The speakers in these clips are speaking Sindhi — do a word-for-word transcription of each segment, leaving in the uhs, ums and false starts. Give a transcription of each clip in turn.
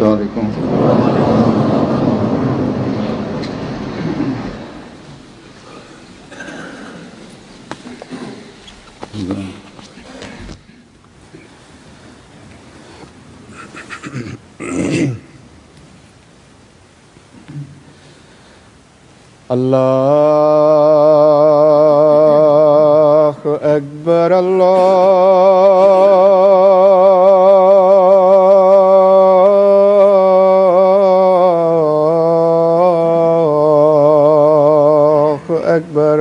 السلام عليڪم. الله أكبر الله أكبر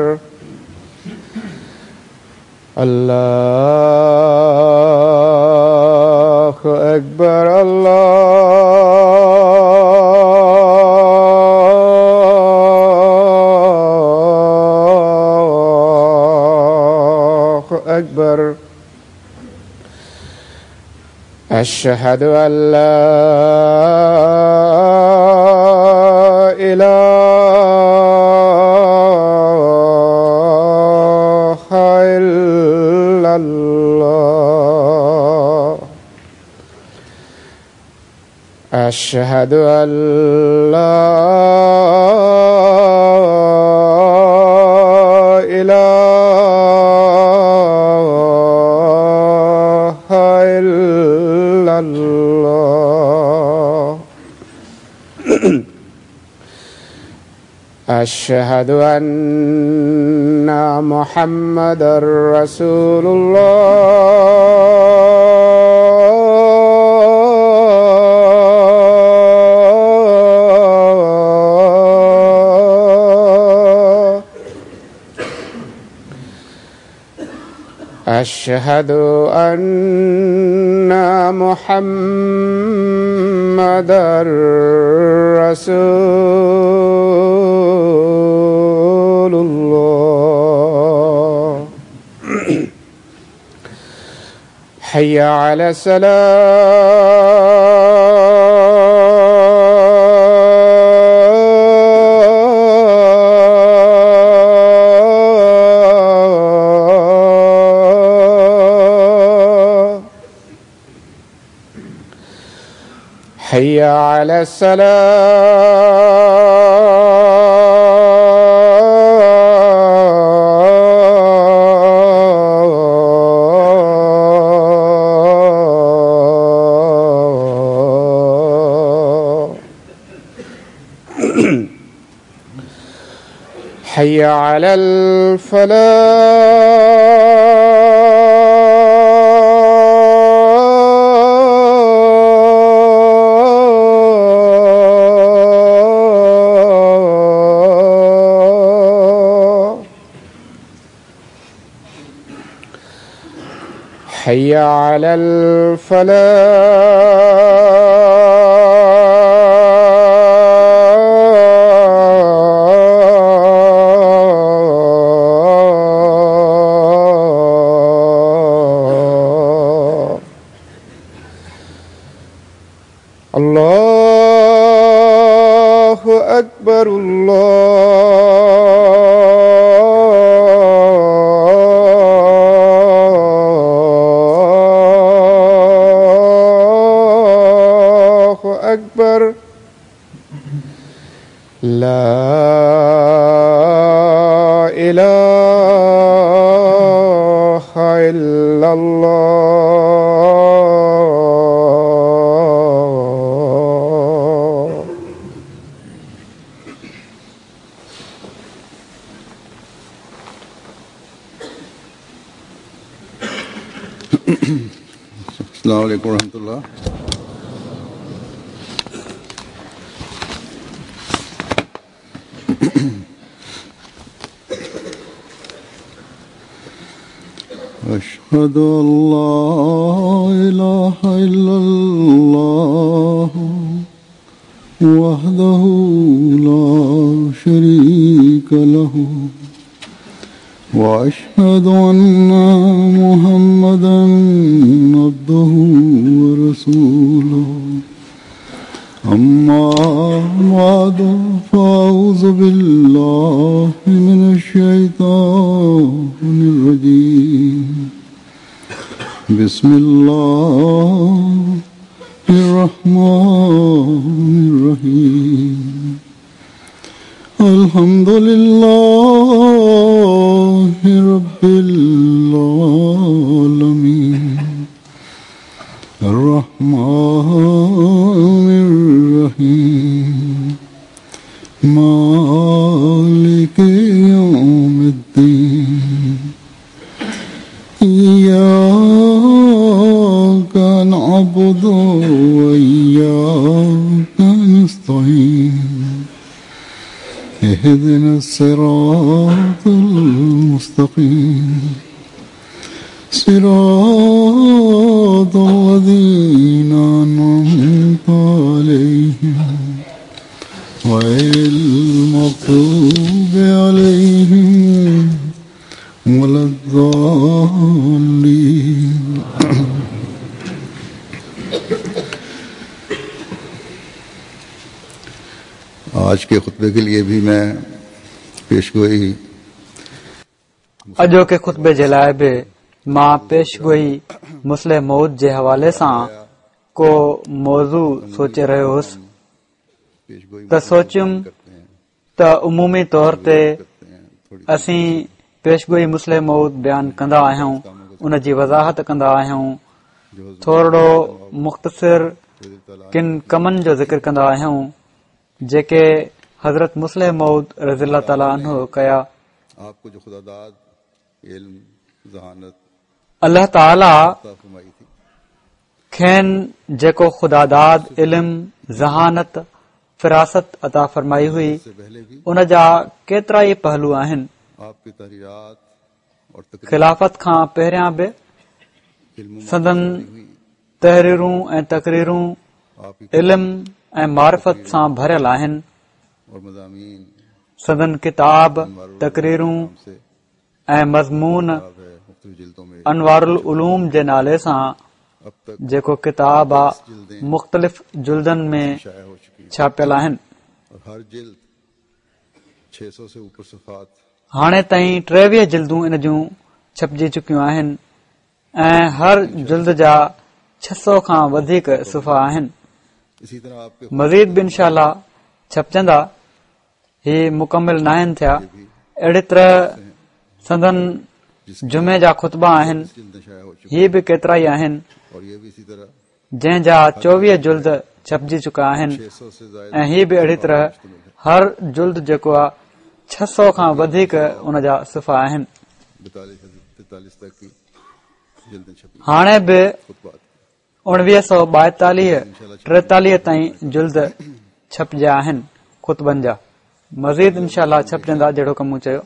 الله أكبر الله أكبر أشهد أن لا إله إلا الله أشهد أن لا إله إلا الله أشهد أن محمدا رسول الله أشهد أن محمدا رسول الله حي على السلام حي على السلام حي على الفلاح حي على الفلاح الله أكبر الله أكبر لا إله إلا الله. السلام عليكم ورحمة الله. أشهد أن لا إله إلا الله وحده لا شريك له وأشهد أن محمدا عبده ورسوله. أما بعد فأعوذ بالله من الشيطان الرجيم. بسم الله الرحمن الرحيم الحمد لله رب العالمين الرحمن الرحيم مالك يوم الدين إياك نعبد وإياك نستعين اهدنا الصراط المستقيم صراط الذين أنعمت عليهم غير المغضوب عليهم ولا الضالين. आज के खुतबे के लिए भी मैं पेशगोई अॼोके ख़ुतबे जे लाइ बि मां पेशगोई मुस्लिह मौत जे हवाले सां को मौज़ू सोचे रहियो हुउसि त सोचियुमि त उमूमी तौर ते असीं पेशगोई मुस्लिह मौत बयान कंदा आहियूं, उन जी वज़ाहत कंदा आहियूं, थोरो मुख़्तसिर किन कमनि जो ज़िक्र कंदा आहियूं जेके हज़रत मुस्लिह मौत रज़ी अल्लाह ताला अन्हु कया। अल्लाह ताला खेनि जेको ख़ुदादाद इल्म, ज़हानत, फिरासत अता फरमाई हुई, उन जा केतिरा ई पहलू आहिनि। ख़िलाफ़त खां पहिरियां बि संदन तहरीरूं ऐं तकरीरूं इल्म ऐं मारिफ़त सां भरियल आहिनि। संदन किताब, तकरीरूं ऐं मज़मून अनवारुल उलूम जे नाले सां जेको किताब आहे मुख़्तलिफ़ जुल्दनि में छापियल आहिनि। हाणे ताईं टेवीह जिल्दूं इन जूं छपिजी चुकियूं आहिनि ऐं हर जुल्द जा छह सौ खां वधीक सुफ़ा आहिनि। मज़ीद बि इंशाअल्लाह छपिजंदा, ही मुकमिल नाहिनि थिया। अहिड़ी तरह संदन जुमे जा ख़ुतबा आहिनि, ही बि केतिरा ई आहिनि, जंहिं जा चोवीह जुल्द छपिजी चुका आहिनि ऐं ही बि अहिड़ी तरह हर जुल्द जेको आहे छह सौ खां वधीक उन जा सुफ़ा आहिनि। हाणे बि उणिवीह सौ ॿाएतालीह टेतालीह ताईं जुल्द छपिजा आहिनि ख़ुतबनि जा, मज़ीद इंशाअल्लाह छपिजंदा जहिड़ो कमु चयो।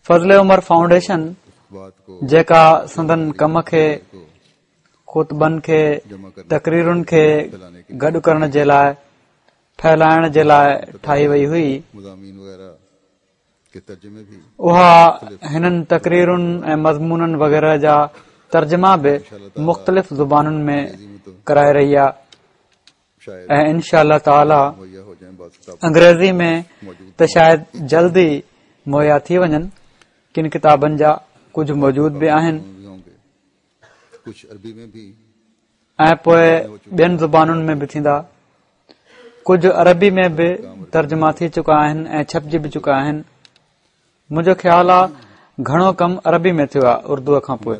फज़ल उमर फाउंडेशन जेका संदन कम खे, ख़ुतबनि खे, तकरीरुनि खे गॾु करण जे लाइ, फैलाइण जे लाइ ठाही वई हुई, उहा हिननि तकरीरुनि ऐं मज़मूननि वग़ैरह जा तर्जुमा बि मुख़्तलिफ़ ज़ुबानुनि में कराए रही आहे ऐं इंशाअल्लाह ताला अंग्रेज़ी में त शायदि जल्द ई मुहैया थी वञनि। किन किताबनि जा कुझु मौजूद बि आहिनि ऐं पोइ ॿियनि ज़ुबानुनि में बि थींदा। कुझु अरबी में बि तर्जुमा थी चुका आहिनि ऐं छपिजी बि चुका आहिनि। मुंहिंजो ख़्यालु आहे घणो कमु अरबी में थियो आहे उर्दूअ खां पोइ।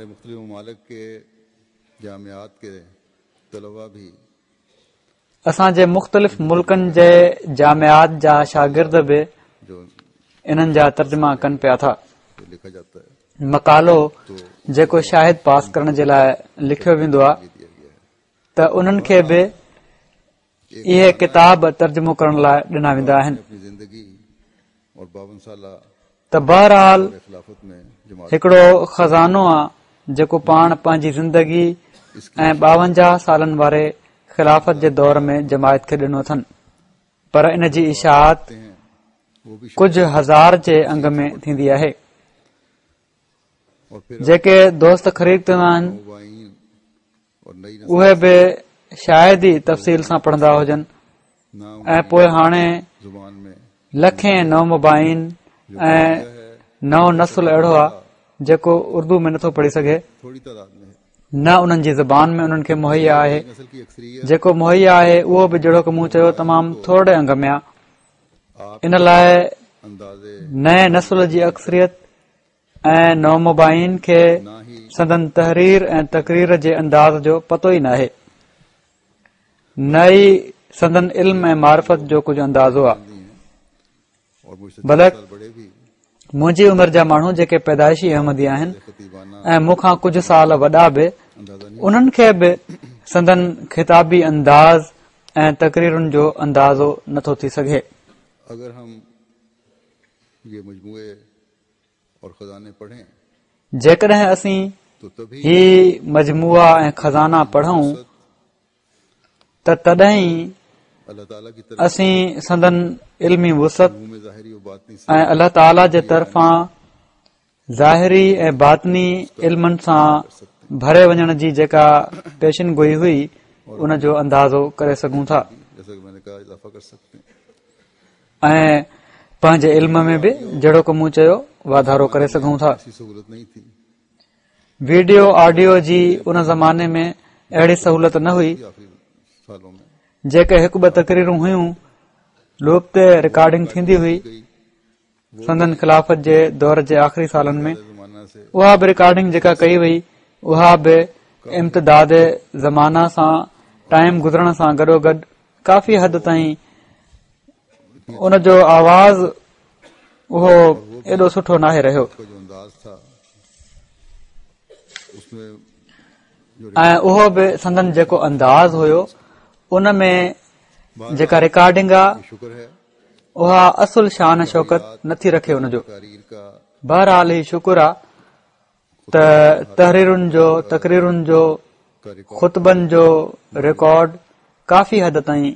असांजे मुख़्तलिफ़ मुल्कनि जे जामियात जा शागिर्द बि इन्हनि जा तर्जुमा कनि पिया था। मक़ालो जेको शाहिद पास करण जे लाइ लिखियो वेंदो आहे त उन्हनि खे बि इहे किताब तर्जुमो करण लाइ ॾिना वेंदा आहिनि। त बहरहाल हिकिड़ो ख़ज़ानो आहे जेको पाण पंहिंजी ज़िंदगी ऐं ॿावंजाह सालनि वारे ख़िलाफ़त जे दौर में जमायत खे ॾिनो अथनि, पर इन जी इशाअत कुझु हज़ार जे अंग में थींदी आहे। जेके दोस्त ख़रीद कंदा आहिनि उहे बि शायदि ई तफ़सील सां पढ़ंदा हुजनि ऐं पोइ हाणे लखें नौमुबाइन ऐं नओं नस्ल अहिड़ो आहे जेको उर्दू में नथो पढ़ी सघे। نه انهن جي زبان ۾ انهن کي مهيا آهي. جيڪو مهيا آهي اهو به جهڙوڪ مون چيو تمام ٿورڙي انگ ۾ آهي. ان لاء نئين نسل جي اڪثريت ۽ نومبائعين کي سندن تحرير ۽ تقرير جي انداز جو پتو ئي ناهي، نه ئي سندن علم ۽ معرفت جو ڪجهه اندازو آهي. بلڪ منهنجي عمر جا ماڻهو جيڪي پيدائشي احمدي آهن ۽ مون کان ڪجهه سال وڏا به، انهن کي به سندن خطابي انداز ۽ تقريرن جو اندازو نٿو ٿي سگهي. جيڪڏهن اسين هي مجموعا ۽ خزانا پڙهون ته تڏهن ئي اسين سندن علمي وسعت ۽ الله تعاليٰ جي طرفان ظاهري ۽ باطني علمن سان ڀري وڃڻ جي جيڪا پيشن گوئي هئي ان جو اندازو ڪري سگهون ٿا ۽ پنهنجي علم ۾ به جهڙوڪ مون چيو واڌارو ڪري سگهون ٿا. ويڊيو آڊيو جي ان زماني ۾ اهڙي سهولت نه هئي. جيڪي هڪ ٻه تقريرون هيون لوپ تي رڪارڊنگ ٿيندي هئي. سندن خلافت جي دور جي آخري سالن ۾ اها به رڪارڊنگ جيڪا ڪئي وئي اها به امتداد زمانه سان ٽائيم گذرڻ سان گڏوگڏ ڪافي حد تائين ان جو آواز اهو ايڏو سٺو ناهي رهيو ۽ اهو به سندن جيڪو انداز هيو ان ۾ جيڪا رڪارڊنگ آهي اها اصل شان شوڪت نٿي رکي ان جو. بهرحال هي شڪر آهي ته تحريرن جو، تقريرن جو، خطبن جو رڪارڊ ڪافي حد تائين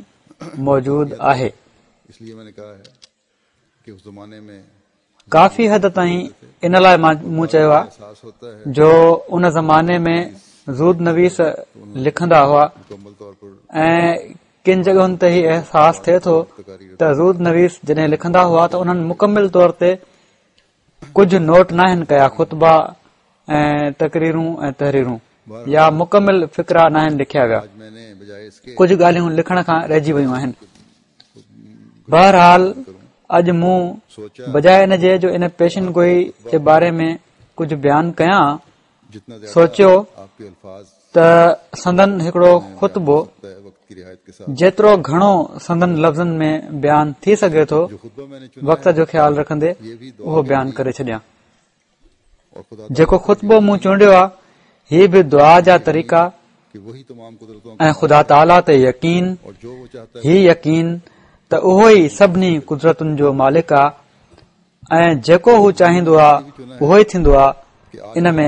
موجود آهي. ڪافي حد تائين ان لاء مون چيو آهي جو ان زماني ۾ زود نويس لکندا هئا ۽ ڪن جڳهن تي هي احساس ٿئي ٿو ته زود نويس جڏهن لکندا هئا ته انهن مڪمل طور تي ڪجهه نوٽ ناهن ڪيا، خطبا ۽ تقريرون ۽ تحريرون يا مڪمل فقرا ناهن لکيا ويا، ڪجهه ڳالهيون لکڻ کان رهجي ويون آهن. بهرحال اڄ مون بجاء ان جي جو ان پيشن گوئي جي باري ۾ ڪجهه بيان ڪيان، سوچيو ته سندن هڪڙو خطبو جيترو گهڻو سندن لفظن ۾ بيان ٿي سگهي ٿو وقت جو خيال رکندي اهو بيان ڪري ڇڏيان. جيڪو خطبو مون چونڊيو آهي هي به دعا جا طريقا ۽ خدا تعاليٰ تي يقين، هي يقين ته اهو ئي سڀني قدرتن جو مالڪ آهي ۽ جيڪو هو چاهيندو آهي اهو ئي ٿيندو آهي، ان ۾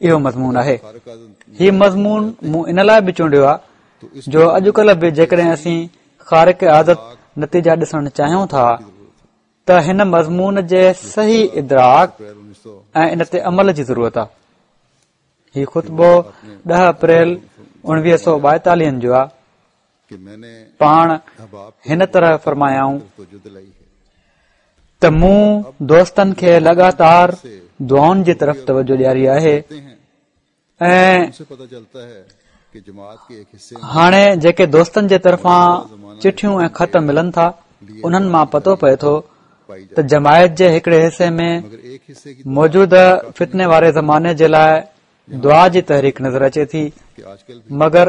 اهو مضمون آهي. هي مضمون مون ان لاء به چونڊيو آهي جو اڄڪلهه به جيڪڏهن اسين خارق عادت نتيجا ڏسڻ چاهيون ٿا ته هن مضمون جي صحيح ادراڪ ۽ ان تي عمل جي ضرورت آهي. هي خطبو ڏهه اپريل اڻويهه سؤ ٻائيتاليهن جو آهي. پاڻ هن طرح فرمايائون ته مون دوستن کي لڳاتار دعائن جي طرف توجه ڏياري آهي ۽ هاڻي جيڪي دوستن جي طرفان چٺيون ۽ خط ملن ٿا انهن مان پتو پئي ٿو ته جماعت جي هڪڙي حصي ۾ موجوده فتني واري زماني جي لاء دعا جي تحريڪ نظر اچي ٿي، مگر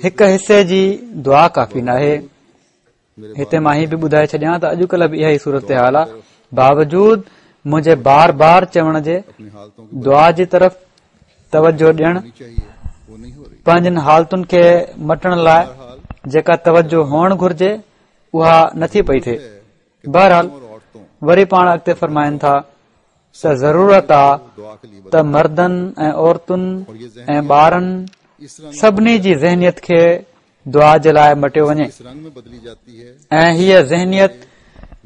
هڪ حصي جي دعا ڪافي ناهي. هتي مان هي به ٻڌائي ڇڏيان ته اڄڪلهه به اها ئي صورتحال آهي، باوجود منهنجي بار بار چوڻ جي دعا جي طرف توجه ڏيڻ، پنهنجن حالتن کي مٽڻ لاء جيڪا توجه هئڻ گهرجي اها نٿي پئي ٿئي. بهرحال وري پاڻ اڳتي فرمائن ٿا ته ضرورت آ ته مردن ۽ عورتن ۽ ٻارن سڀني جي ذهنيت کي دعا جي لاء مٽيو وڃي ۽ هيء ذهنيت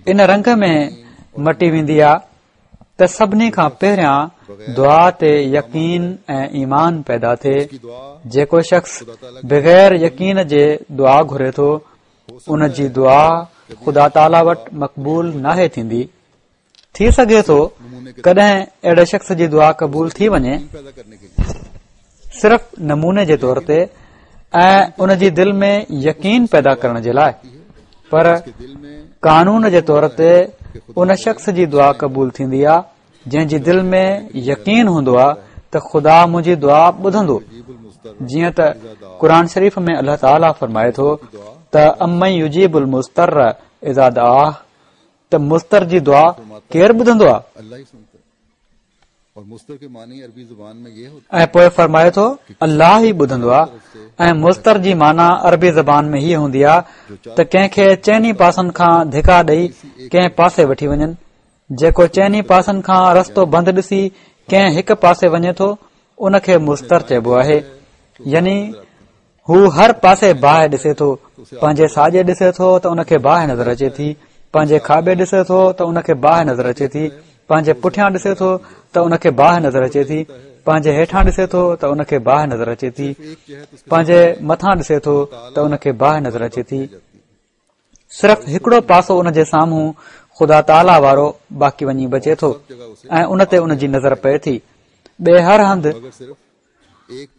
ان رنگ ۾ مٽي ويندي آ ته سڀني کان پهريان دعا تي يقين ۽ ايمان پيدا ٿئي. جيڪو شخص بغير يقين جي دعا گهري ٿو ان جي دعا خدا تعاليٰ وٽ مقبول ناهي ٿيندي. ٿي سگهي ٿو ڪڏهن اهڙي شخص جي دعا قبول ٿي وڃي. صرف نموني جي طور تي ۽ ان جي دل ۾ يقين پيدا ڪرڻ جي لاءِ، پر قانون جي طور تي ان شخص جي دعا قبول ٿيندي آهي جنهن جي دل ۾ يقين هوندو آهي ته خدا منهنجي دعا ٻڌندو. جيئن ته قرآن شريف ۾ الله تعاليٰ فرمائي ٿو ته امن يجيب المضطر اذا دعاه، ته مضطر جي دعا ڪير ٻڌندو آهي؟ ۽ پوءِ فرمائي ٿو الله ئي ٻڌندو آهي. ۽ مضطر جي معنيٰ عربي زبان ۾ هيءَ هوندي آهي ته ڪنهن کي چئني پاسن کان ڌڪا ڏئي ڪنهن پاسي وٺي وڃن. جيڪو چئني پاسن کان رستو بند ڏسي ڪنهن هڪ پاسي وڃي ٿو ان کي مضطر چئبو آهي. يعني هو هر پاسي باهه ڏسي ٿو، پنهنجي ساڄي ڏسي ٿو ته ان کي باهه نظر اچي ٿي، پنهنجي کاٻي ڏسي ٿو ته ان کي باهه نظر اچي ٿي، پنهنجي پٺيان ڏسي ٿو ته ان کي باهه نظر اچي ٿي، پنهنجي هيٺان ڏسي ٿو ته ان کي باهه نظر اچي ٿي، پنهنجي مٿان ڏسي ٿو ته ان کي باهه نظر اچي ٿي. صرف هڪڙو پاسو ان جي سامهون خدا تعاليٰ وارو باقي وڃي بچي ٿو ۽ ان تي ان جي نظر پئي ٿي. ٻئي هر هنڌ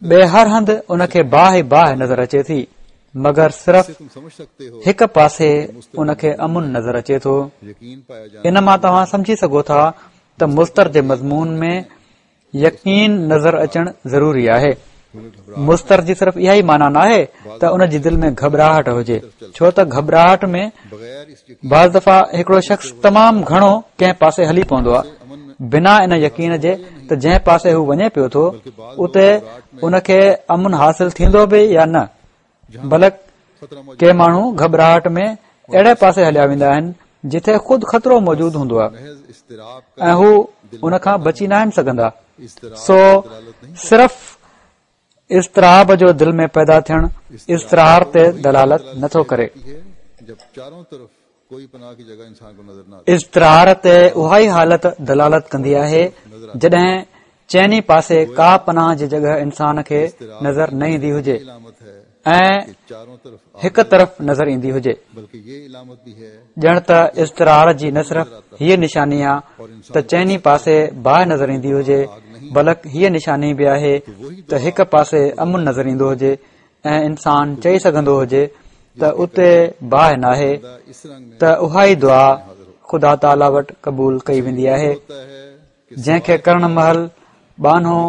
ٻئي هر هنڌ ان کي باهه باهه نظر اچي ٿي، مگر صرف هڪ پاسي ان کي امن نظر اچي ٿو. ان مان توهان سمجهي سگهو ٿا ته مضطر جي مضمون ۾ يقين نظر اچڻ ضروري آهي. مضطر جي صرف اها ئي معنيٰ ناهي ته ان جي دل ۾ گهٻراهٽ هجي، ڇو ته گهٻراهٽ ۾ بعض دفعا هڪڙو شخص تمام گهڻو ڪنهن پاسي هلي پوندو آهي بنا ان يقين جي ته جنهن پاسي هو وڃي پيو ٿو اتي ان کي امن حاصل ٿيندو به يا نه. بلڪ ڪي ماڻهو گهٻراهٽ ۾ اهڙي پاسي هليا ويندا آهن جتي خود خطرو موجود هوندو آهي ۽ هو ان کان بچي ناهن سگهندا. سو صرف اضطراب جو دل ۾ پيدا ٿيڻ اضطرار تي دلالت نٿو ڪري. اضطرار تي اها ئي حالت دلالت ڪندي آهي جڏهن چئني پاسي ڪا پناهه جي جڳهه انسان کي نظر نه ايندي هجي ۽ هڪ طرف نظر ايندي هجي. ڄڻ ته اضطرار جي نه صرف هيءَ نشاني آهي ته چئني پاسي باهه نظر ايندي هجي، بلڪ هيءَ نشاني به آهي ته هڪ پاسي امن نظر ايندو هجي ۽ انسان چئي سگهندو هجي ته اتي باهه ناهي، ته اها ئي دعا خدا تعاليٰ وٽ قبول ڪئي ويندي آهي جنهن کي ڪرڻ مهل ٻانهو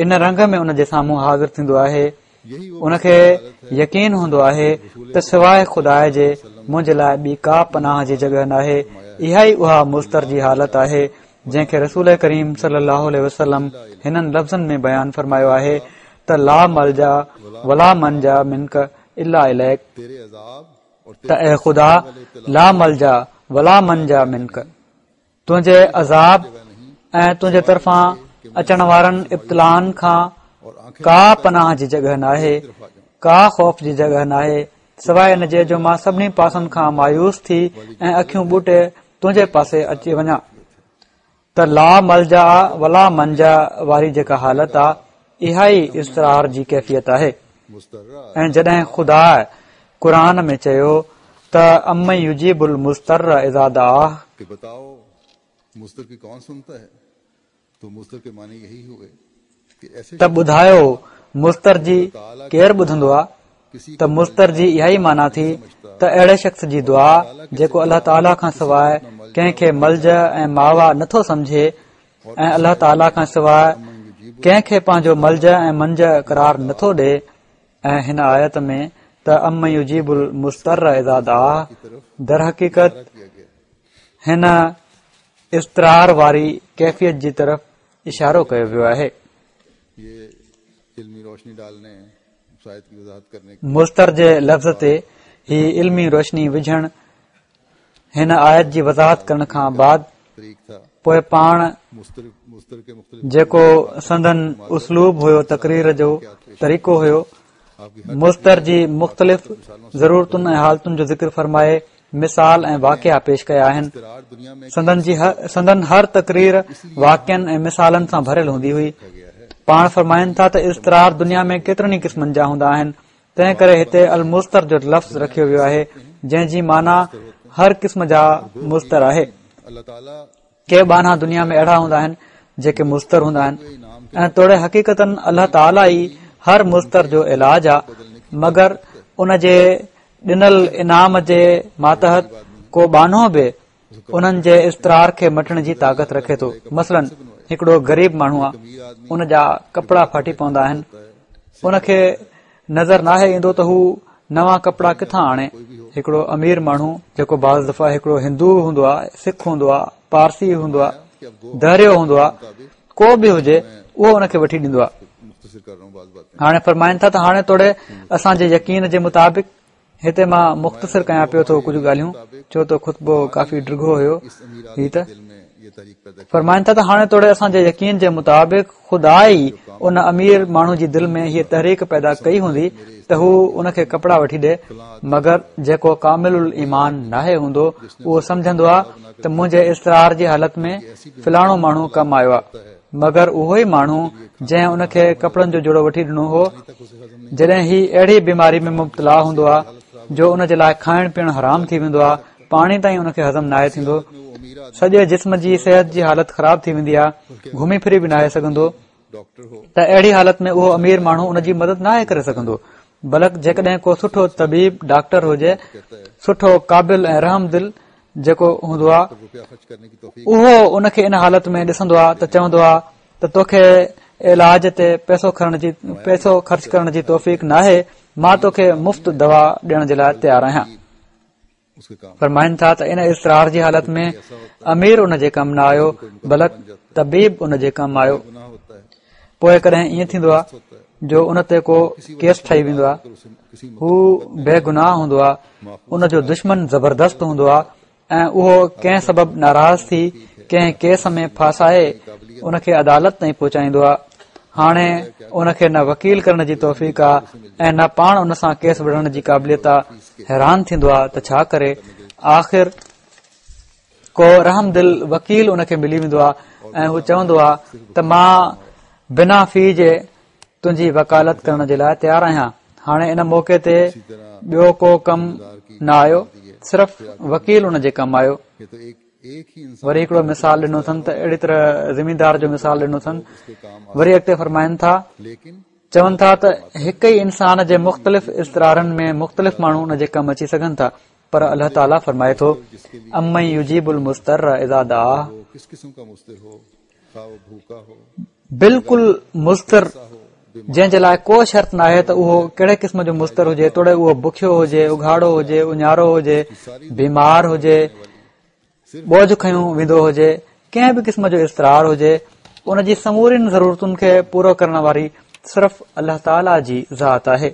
ان رنگ ۾ ان جي سامهون حاضر ٿيندو آهي. ان کي يقين هوندو آهي ته سواءِ خدا جي منهنجي لاءِ ٻي ڪا پناهه جي جڳهه ناهي. اها ئي اها مضطر جي حالت آهي جنهن کي رسول ڪريم صلي الله عليه وسلم هنن لفظن ۾ بيان فرمايو آهي ته لا ملجا ولا منجا منڪ الا اليڪ، ته اي خدا لا ملجا ولا منجا منڪ، تنهنجي عذاب ۽ تنهنجي طرفان اچڻ وارن ابتلائن کان ڪا پناهه جي جڳهه ناهي، ڪا خوف جي جڳهه ناهي، سواءِ ان جي جو مان سڀني پاسن کان مايوس ٿي ۽ اکيون ٻوٽي تنهنجي پاسي اچي وڃان. ته لا ملجا ولا منجا واري جيڪا حالت آهي اها ئي اضطرار جي ڪيفيت آهي. ۽ جڏهن خدا قرآن ۾ چيو ته امن يجيب المضطر اذا دعاه، ته ٻڌايو مضطر جي ڪير ٻڌندو آهي؟ ته مضطر جي اها ئي معنيٰ ٿي ته اهڙي شخص جي دعا جيڪو الله تعاليٰ کان سواءِ ڪنهن کي ملجا ۽ ماوا نٿو سمجهي ۽ الله تعاليٰ کان سواءِ ڪنهن کي پنهنجو ملجا ۽ منجا قرار نٿو ڏئي. ۽ هن آيت ۾ ته امن يجيب المضطر اذا دعاه، درحقيقت هن اضطرار واري ڪيفيت جي طرف اشارو ڪيو ويو آهي. مضطر جي لفظ تي هي علمي روشني وجهڻ هن آيت جي وضاحت ڪرڻ کان بعد پوءِ پاڻ جيڪو سندن اسلوب هيو، تقرير جو طريقو هيو، مضطر جي مختلف ضرورتن ۽ حالتن جو ذڪر فرمائي مثال ۽ واقعا پيش ڪيا آهن. سندن جي سندن هر تقرير واقعن ۽ مثالن سان ڀريل هوندي هئي. پاڻ فرمائن ٿا ته اضطرار دنيا ۾ ڪيترن ئي قسمن جا هوندا آهن، تنهن ڪري هتي المضطر جو لفظ رکيو ويو آهي جنهن جي معنيٰ هر قسم جا مضطر آهي. ڪي ٻانها دنيا ۾ اهڙا هوندا آهن جيڪي مضطر هوندا آهن ۽ توڙي حقيقتن الله تعاليٰ ئي هر مضطر جو علاج آ، مگر ان جي ڏنل انعام جي ماتحت ڪو ٻانهو به انهن جي اضطرار کي مٽڻ جي طاقت رکي ٿو. مثلاً هڪڙو غريب ماڻهو آ، ان جا ڪپڙا ڦاٽي پوندا آهن، ان کي نظر ناهي ايندو ته هو نوان ڪپڙا ڪٿان آڻي. هڪڙو امير ماڻهو جيڪو بعض دفعا هڪڙو هندو هوندو آ، سک هوندو آ، پارسي هوندو آ، دهريو هوندو آ، ڪو به هجي، اهو ان کي وٺي ڏيندو آ. هاڻي فرمائن ٿا ته هاڻي توڙي اسان جي يقين جي مطابق، هتي مان مختصر ڪيان پيو ٿو ڪجهه ڳالهيون، ڇو ته خطبو ڪافي ڊگهو هيو. هي ته فرمائن ٿا ته هاڻي توڙي اسان جي يقين جي مطابق خدا ئي ان امير ماڻهو جي دل ۾ هيء تحريڪ پيدا ڪئي هوندي ته هو ان کي ڪپڙا وٺي ڏي، مگر جيڪو ڪامل الايمان ناهي هوندو اهو سمجهندو آ ته منهنجي اضطرار جي حالت ۾ فلاڻو ماڻهو ڪم آيو آ، مگر اهو ئي ماڻهو جنهن ان کي ڪپڙن جو جوڙو وٺي ڏنو هو، جڏهن هي اهڙي بيماري ۾ مبتلا هوندو آ جو ان جي لاء کائڻ پيئڻ حرام ٿي ويندو آ، پاڻي تائين ان کي هضم ناهي ٿيندو، سڄي جسم جي صحت جي حالت خراب ٿي ويندي آ، گهمي ڦري به ناهي سگهندو، ته اهڙي حالت ۾ اهو امير ماڻهو ان جي مدد ناهي ڪري سگهندو. بلڪ جيڪڏهن ڪو سٺو طبيب ڊاڪٽر هجي، سٺو قابل ۽ رحم دل جيڪو هوندو آ، اهو ان کي ان حالت ۾ ڏسندو آ ته چوندو آ ته توکي علاج تي پئسو کڻڻ جي پئسو خرچ ڪرڻ جي توفيق ناهي، مان توکي مفت دوا ڏيڻ جي لاء تيار آهيان. فرمائن ٿا ته ان اضطرار جي حالت ۾ امير ان جي ڪم نه آيو، بلڪ طبيب ان جي ڪم آيو. پوءِ ڪڏهن ائين ٿيندو آ جو ان تي ڪو ڪيس ٺهي ويندو آ، هو بيگناهه هوندو آ، ان جو دشمن زبردست هوندو آ ۽ اهو ڪنهن سبب ناراض ٿي ڪنهن ڪيس ۾ ڦاسائي ان کي عدالت تائين پهچائيندو آ. هاڻي ان کي نه وڪيل ڪرڻ جي توفيق آ ۽ نه پاڻ ان سان ڪيس وڙهڻ جي قابليت آ. حيران ٿيندو آ ته ڇا ڪري. آخر ڪو رحم دل وڪيل ان کي ملي ويندو آ ۽ هو چوندو آ ته مان بنا في جي تنهنجي وڪالت ڪرڻ جي لاءِ تيار آهيان. هاڻي ان موقعي تي ٻيو ڪو ڪم نه آيو، صرف وڪيل ان جي ڪم آيو. وري هڪڙو مثال ڏنو اٿن ته اهڙي طرح زميندار جو مثال ڏنو اٿن. وري اڳتي فرمائن ٿا، چون ٿا ته هڪ ئي انسان جي مختلف اضطرارن ۾ مختلف ماڻهو ان جي ڪم اچي سگهن ٿا، پر الله تعاليٰ فرمائي ٿو امن يجيب المضطر اذا دعاه، بلڪل مضطر جنهن جي لاءِ ڪو شرط ناهي ته اهو ڪهڙي قسم جو مضطر هجي، توڙي اهو بکيو هجي، اگهاڙو هجي، اڃارو هجي، بيمار هجي، بوجهه کنيو ويندو هجي، ڪنهن به قسم جو اضطرار هجي، ان جي سمورين ضرورتن کي پورو ڪرڻ واري صرف الله تعاليٰ جي ذات آهي.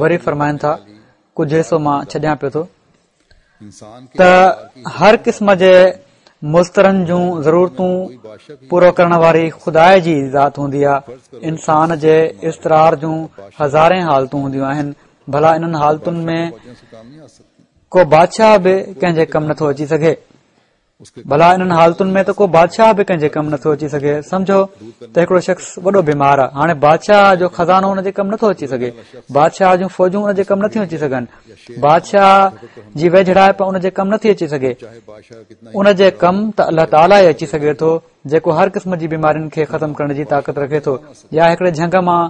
وري فرمائن ٿا، ڪجهه حصو مان ڇڏيان پيو ٿو ته هر قسم جي مضطرن جون ضرورتون پورو ڪرڻ واري خدا جي ذات هوندي آهي. انسان جي اضطرار جون هزارين حالتون هونديون آهن، ڀلا انهن حالتن ۾ ڪو بادشاهه به ڪنهن جي ڪم نٿو اچي سگهي. ڀلا انهن حالتن ۾ ته ڪو بادشاهه به ڪنهن جي ڪم نٿو اچي سگهي. سمجهو ته هڪڙو شخص وڏو بيمار آهي، هاڻي بادشاهه جو خزانو ان جي ڪم نٿو اچي سگهي، بادشاهه جون فوجون ان جي ڪم نٿيون اچي سگهن، بادشاهه جي ويجهڙائپ ان جي ڪم نٿي اچي سگهي. ان جي ڪم ته الله تعاليٰ ئي اچي سگهي ٿو، جيڪو هر قسم جي بيمارين کي ختم ڪرڻ جي طاقت رکي ٿو. يا هڪڙي جهنگ مان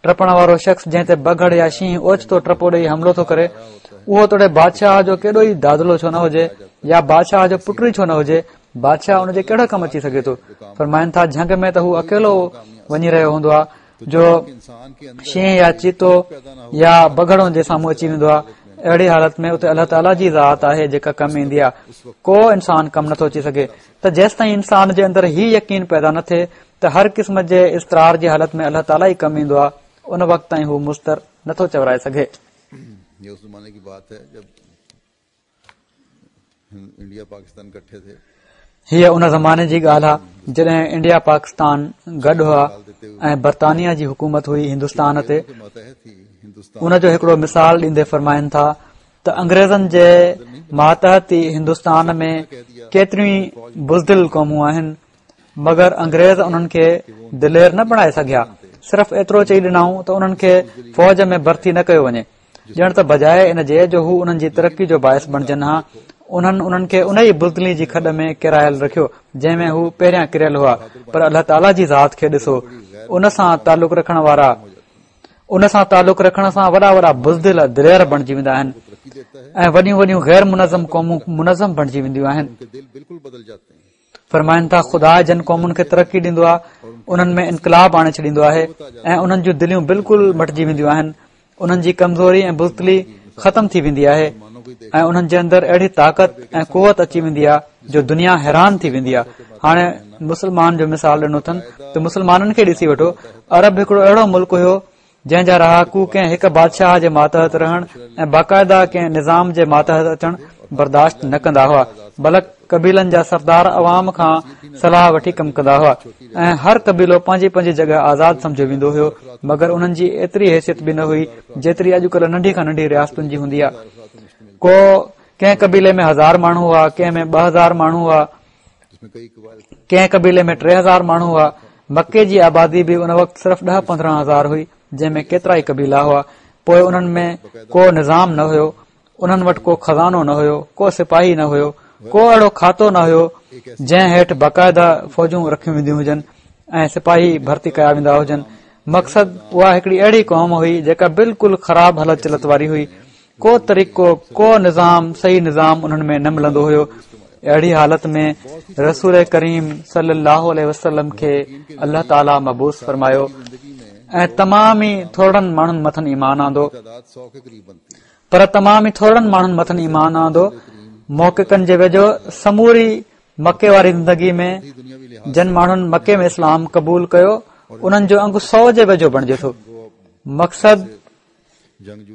ٽپڻ وارو شخص جنهن تي بگهڙ يا شينهن اوچتو ٽپو ڏيئي حملو ٿو ڪري، اهو توڙي بادشاهه جو ڪيڏو ئي دادلو ڇو نه هجي يا بادشاهه جو پٽ ئي ڇو نه هجي، بادشاهه ان جي ڪهڙو ڪم اچي سگهي ٿو؟ فرمائن ٿا، جهنگ ۾ ته هو اڪيلو وڃي رهيو هوندو آهي جو شينهن يا چيتو يا بگهڙ ان جي سامهون اچي ويندو آهي. اهڙي حالت ۾ اتي الله تعاليٰ جي ذات آهي جيڪا ڪم ايندي آهي، ڪو انسان ڪم نٿو اچي سگهي. ته جيستائين انسان جي اندر هي يقين پيدا نه ٿئي ته هر قسم جي اضطرار جي حالت ۾ الله تعاليٰ ئي ڪم ايندو آهي، ان وقت تائين هو مضطر نٿو چورائي سگهي. هيء ان زماني جي ڳالهه آهي جڏهن انڊيا پاڪستان گڏ هئا ۽ برطانيا جي حڪومت هئي هندستان تي. ان جو هڪڙو مثال ڏيندي فرمائن ٿا ته انگريزن جي ماتحت ئي هندستان ۾ ڪيتريون ئي بزدل قومون آهن، مگر انگريز انهن کي دلير نه بڻائي سگهيا. صرف ايترو چئي ڏنائون ته انهن کي فوج ۾ ڀرتي نه ڪيو وڃي، ڄڻ ته بجاءِ ان جي جو هو انهن جي ترقي جو باعث بڻجن ها، انهن انهن کي ان ئي بزدلي جي کڏ ۾ ڪيرايل رکيو جنهن ۾ هو پهريان ڪريل هئا. پر الله تعاليٰ جي ذات کي ڏسو، ان سان تعلق رکڻ وارا ان سان تعلق رکڻ سان وڏا وڏا بزدل دلير بڻجي ويندا آهن ۽ وڏيون وڏيون غير منظم قومون منظم بڻجي وينديون آهن. فرمائن ٿا خدا جن قومن کي ترقي ڏيندو آهي انهن ۾ انقلاب آڻي ڇڏيندو آهي ۽ انهن جون دليون بلڪل مٽجي وينديون آهن، انهن جي ڪمزوري ۽ بزدلي ختم ٿي ويندي آهي ۽ انهن جي اندر اهڙي طاقت ۽ قوت اچي ويندي آهي جو دنيا حيران ٿي ويندي آهي. هاڻي مسلمان جو مثال ڏنو اٿن ته مسلمانن کي ڏسي وٺو، عرب هڪڙو اهڙو ملڪ هيو جنهن جا رهاڪو ڪنهن هڪ بادشاهه جي ماتحت رهڻ ۽ باقاعده ڪنهن نظام جي ماتحت اچڻ برداشت نه ڪندا هئا، بلڪ قبيلن جا سردار عوام کان صلاح وٺي ڪم ڪندا هئا ۽ هر قبيلو پنهنجي پنهنجي جڳهه آزاد سمجهيو ويندو هيو، مگر انهن جي ايتري حيثيت به نه هئي جيتري اڄڪلهه ننڍي کان ننڍي رياستن جي هوندي آهي. ڪو ڪنهن قبيلي ۾ هزار ماڻهو هئا، ڪنهن ۾ ٻه هزار ماڻهو هئا، ڪنهن قبيلي ۾ ٽي هزار ماڻهو هئا. مڪي جي آبادي به ان وقت صرف ڏهه پندرهن هزار هئي جنهن ۾ ڪيترائي قبيلا هئا. پوء انهن ۾ ڪو نظام نه هيو، انهن وٽ ڪو خزانو نه هيو، ڪو سپاهي نه هيو، ڪو اهڙو کاتو نه هيو جنهن هيٺ باقاعده فوجون رکيون وينديون هجن ۽ سپاهي ڀرتي ڪيا ويندا هجن. مقصد اها هڪڙي اهڙي قوم هئي جيڪا بلڪل خراب هلت چلت واري هئي. ڪو طريقو ڪو نظام صحيح نظام انهن ۾ نه ملندو هيو. اهڙي حالت ۾ رسول ڪريم صلي الله عليه وسلم کي الله تعاليٰ مبعوث فرمايو ۽ تمام ئي ٿورڙن ماڻهن مٿن ايمان آندو، پر تمام ئي ٿورڙن ماڻهن مٿن ايمان آندو. محققن جي ويجهو سموري مڪي واري زندگي ۾ جن ماڻهن مڪي ۾ اسلام قبول ڪيو انهن جو انگ سؤ جي ويجهو بڻجي ٿو. مقصد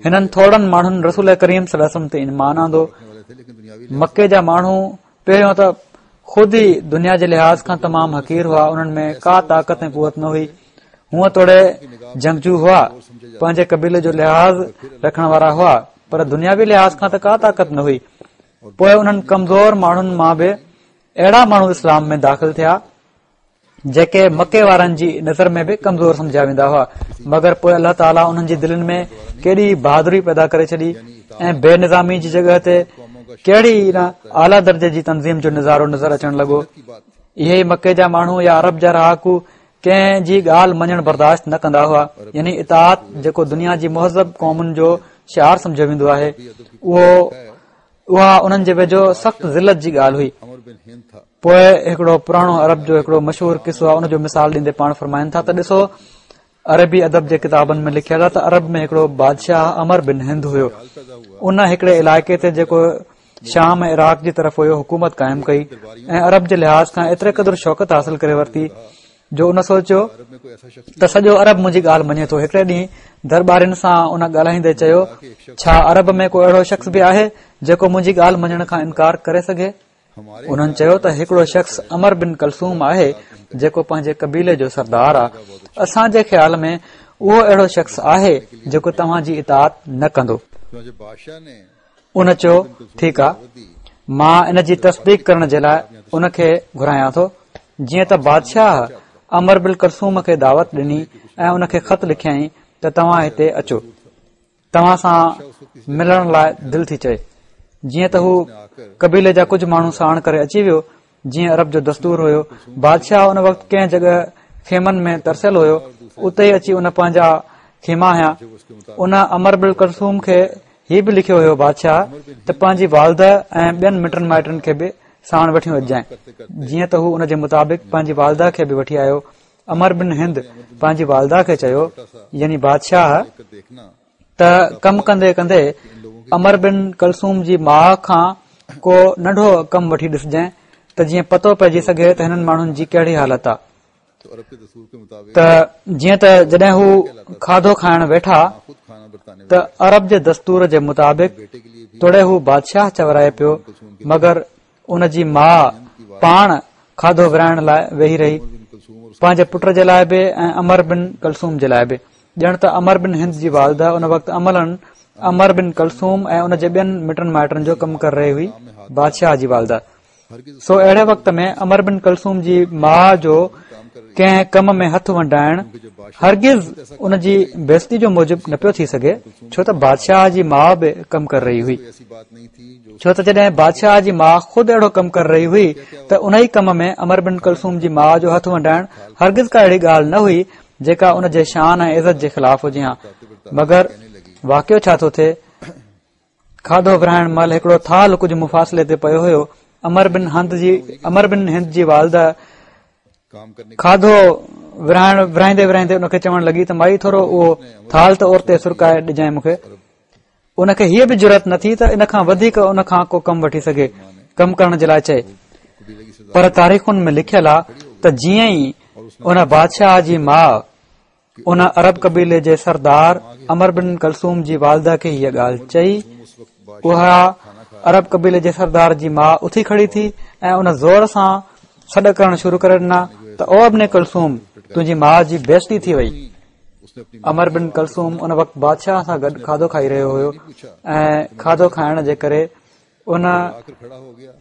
هنن ٿورڙن ماڻهن رسول ڪريم صلي الله عليه وسلم تي ايمان آندو. مڪي جا ماڻهو پهريون ته خود ئي دنيا جي لحاظ کان تمام حقير هئا، انهن ۾ ڪا طاقت ۽ قوت نه هئي. هونء توڙي جنگجو هئا، پنهنجي قبيلي جو لحاظ رکڻ وارا هئا، پر دنياوي لحاظ کان ته ڪا طاقت نه هئي. پوء انهن ڪمزور ماڻهن مان به اهڙا ماڻهو اسلام ۾ داخل ٿيا جيڪي مڪي وارن جي نظر ۾ به ڪمزور سمجهيا ويندا هئا، مگر پوء الله تعاليٰ انهن جي دلين ۾ ڪيڏي بهادري پيدا ڪري ڇڏي ۽ بي نظامي جي جڳهه تي ڪهڙي نه اعليٰ درجي جي تنظيم جو نظارو نظر اچڻ لڳو. اهي ئي مڪي جا ماڻهو يا عرب جا رهاڪو ڪنهن جي ڳالهه مڃڻ برداشت نه ڪندا هئا، يعني اطاعت جيڪو دنيا جي مهذب قومن جو شعار سمجهيو ويندو آهي، اهو اها انهن جي ويجهو سخت ذلت جي ڳالهه هئي. پوء هڪڙو پراڻو عرب جو هڪڙو مشهور قصو آهي، ان جو مثال ڏيندي پاڻ فرمائن ٿا ته ڏسو عربي ادب جي ڪتابن ۾ لکيل آهي ته عرب ۾ هڪڙو بادشاهه عمرو بن هند هيو. ان هڪڙي علائقي تي جيڪو شام ۽ عراق جي طرف هيو حڪومت قائم ڪئي ۽ عرب جي لحاظ کان ايتري قدر شوڪت حاصل ڪري ورتي جو ان سوچيو ته سڄو عرب منهنجي ڳالهه مڃي ٿو. هڪڙي ڏينهن درٻارين سان ان ڳالهائيندي چيو، ڇا عرب ۾ ڪو اهڙو شخص به آهي جيڪو منهنجي ڳالهه مڃڻ کان انڪار ڪري سگهي؟ انهن چيو ته هڪڙو شخص عمرو بن ڪلثوم آهي جيڪو پنهنجي قبيلي جو سردار آهي. اسان جي خيال ۾ اهو اهڙو شخص آهي جيڪو توهان جي اطاعت نه ڪندو. ان چيو ٺيڪ آ، مان ان جي تصديق ڪرڻ جي لاء ان کي گهرايان ٿو. جيئن ته بادشاهه عمرو بن ڪلثوم کي دعوت ڏني ۽ ان کي خط لکيائين ته توهان هتي اچو، توهان سان ملڻ لاء دل ٿي چئي. جيئن ته هو قبيلي جا ڪجهه ماڻهو ساڻ ڪري اچي ويو، جيئن عرب جو دستور هيو. بادشاهه ان وقت ڪنهن جڳهه خيمن ۾ ترسيل هيو، اتي ئي اچي ان پنهنجا خيما هنيا. ان عمرو بن ڪلثوم کي هي به لکيو هيو بادشاهه ته پنهنجي والده ۽ ٻين مٽن مائٽن کي به ساڻ وٺيون اچجانء. جيئن ته هو ان جي مطابق پنهنجي والده کي به وٺي آيو. عمرو بن هند پنهنجي والده کي چيو، يعني بادشاهه، ته ڪم ڪندي ڪندي عمرو بن ڪلثوم جي ماء کان ڪو ننڍو ڪم وٺي ڏسجانء ته جيئن پتو پئجي سگهي ته هنن ماڻهن جي ڪهڙي حالت آ. ته جيئن ته جڏهن هو کاڌو کائڻ ويٺا ته عرب جي دستور جي مطابق توڙي هو بادشاهه چورائي پيو، مگر ان جي ماء پاڻ کاڌو ورهائڻ لاء ويهي رهي، پنهنجي پٽ جي لاء به ۽ عمرو بن ڪلثوم جي لاء به. ڄڻ ته عمرو بن هند جي والده ان وقت عملاً عمرو بن ڪلثوم ۽ ان جي ٻين مٽن مائٽن جو ڪم ڪري رهي هئي، بادشاهه جي والده. سو اهڙي وقت ۾ عمرو بن ڪلثوم جي ماء جو ڪنهن ڪم ۾ هٿ ونڊائڻ هرگز ان جي بيعزتي جو موجب نه پيو ٿي سگهي، ڇو ته بادشاهه جي ماء به ڪم ڪري رهي هئي. ڇو ته جڏهن بادشاهه جي ماء خود اهڙو ڪم ڪري رهي هئي ته ان ئي ڪم ۾ عمرو بن ڪلثوم جي ماء جو هٿ ونڊائڻ هرگز ڪا اهڙي ڳالهه نه هئي جيڪا ان جي شان ۽ عزت جي خلاف هجي ها. مگر واقعو ڇا ٿو ٿئي، کاڌو ورهائڻ مهل هڪڙو ٿالهه ڪجهه مفاصلي تي پيو هيو. عمرو بن هند جي عمرو بن هند جي والده کاڌو ورهائڻ ورهائيندي ورهائيندي ان کي چوڻ لڳي ته مائي ٿورو اهو ٿالهه ته اورتي سرڪائي ڏجانء مون کي. ان کي هيء به جرئت نه ٿي ته ان کان وڌيڪ ان کان ڪو ڪم وٺي سگهي، ڪم ڪرڻ جي لاء چئي. پر تاريخن ۾ لکيل آ ته جيئن ئي ان بادشاهه جي ماء ان عرب قبيلي جي سردار عمرو بن ڪلثوم جي والده کي هيء ڳالهه چئي، اها عرب قبيلي جي سردار جي ماء اٿي کڙي ٿي ۽ ان زور سان سڏ ڪرڻ شروع ڪري ڏنا ته او ابن ڪلثوم، تنهنجي ماء جي بيعزتي ٿي وئي. عمرو بن ڪلثوم ان وقت بادشاهه سان گڏ کاڌو کائي رهيو هيو ۽ کاڌو کائڻ جي ڪري ان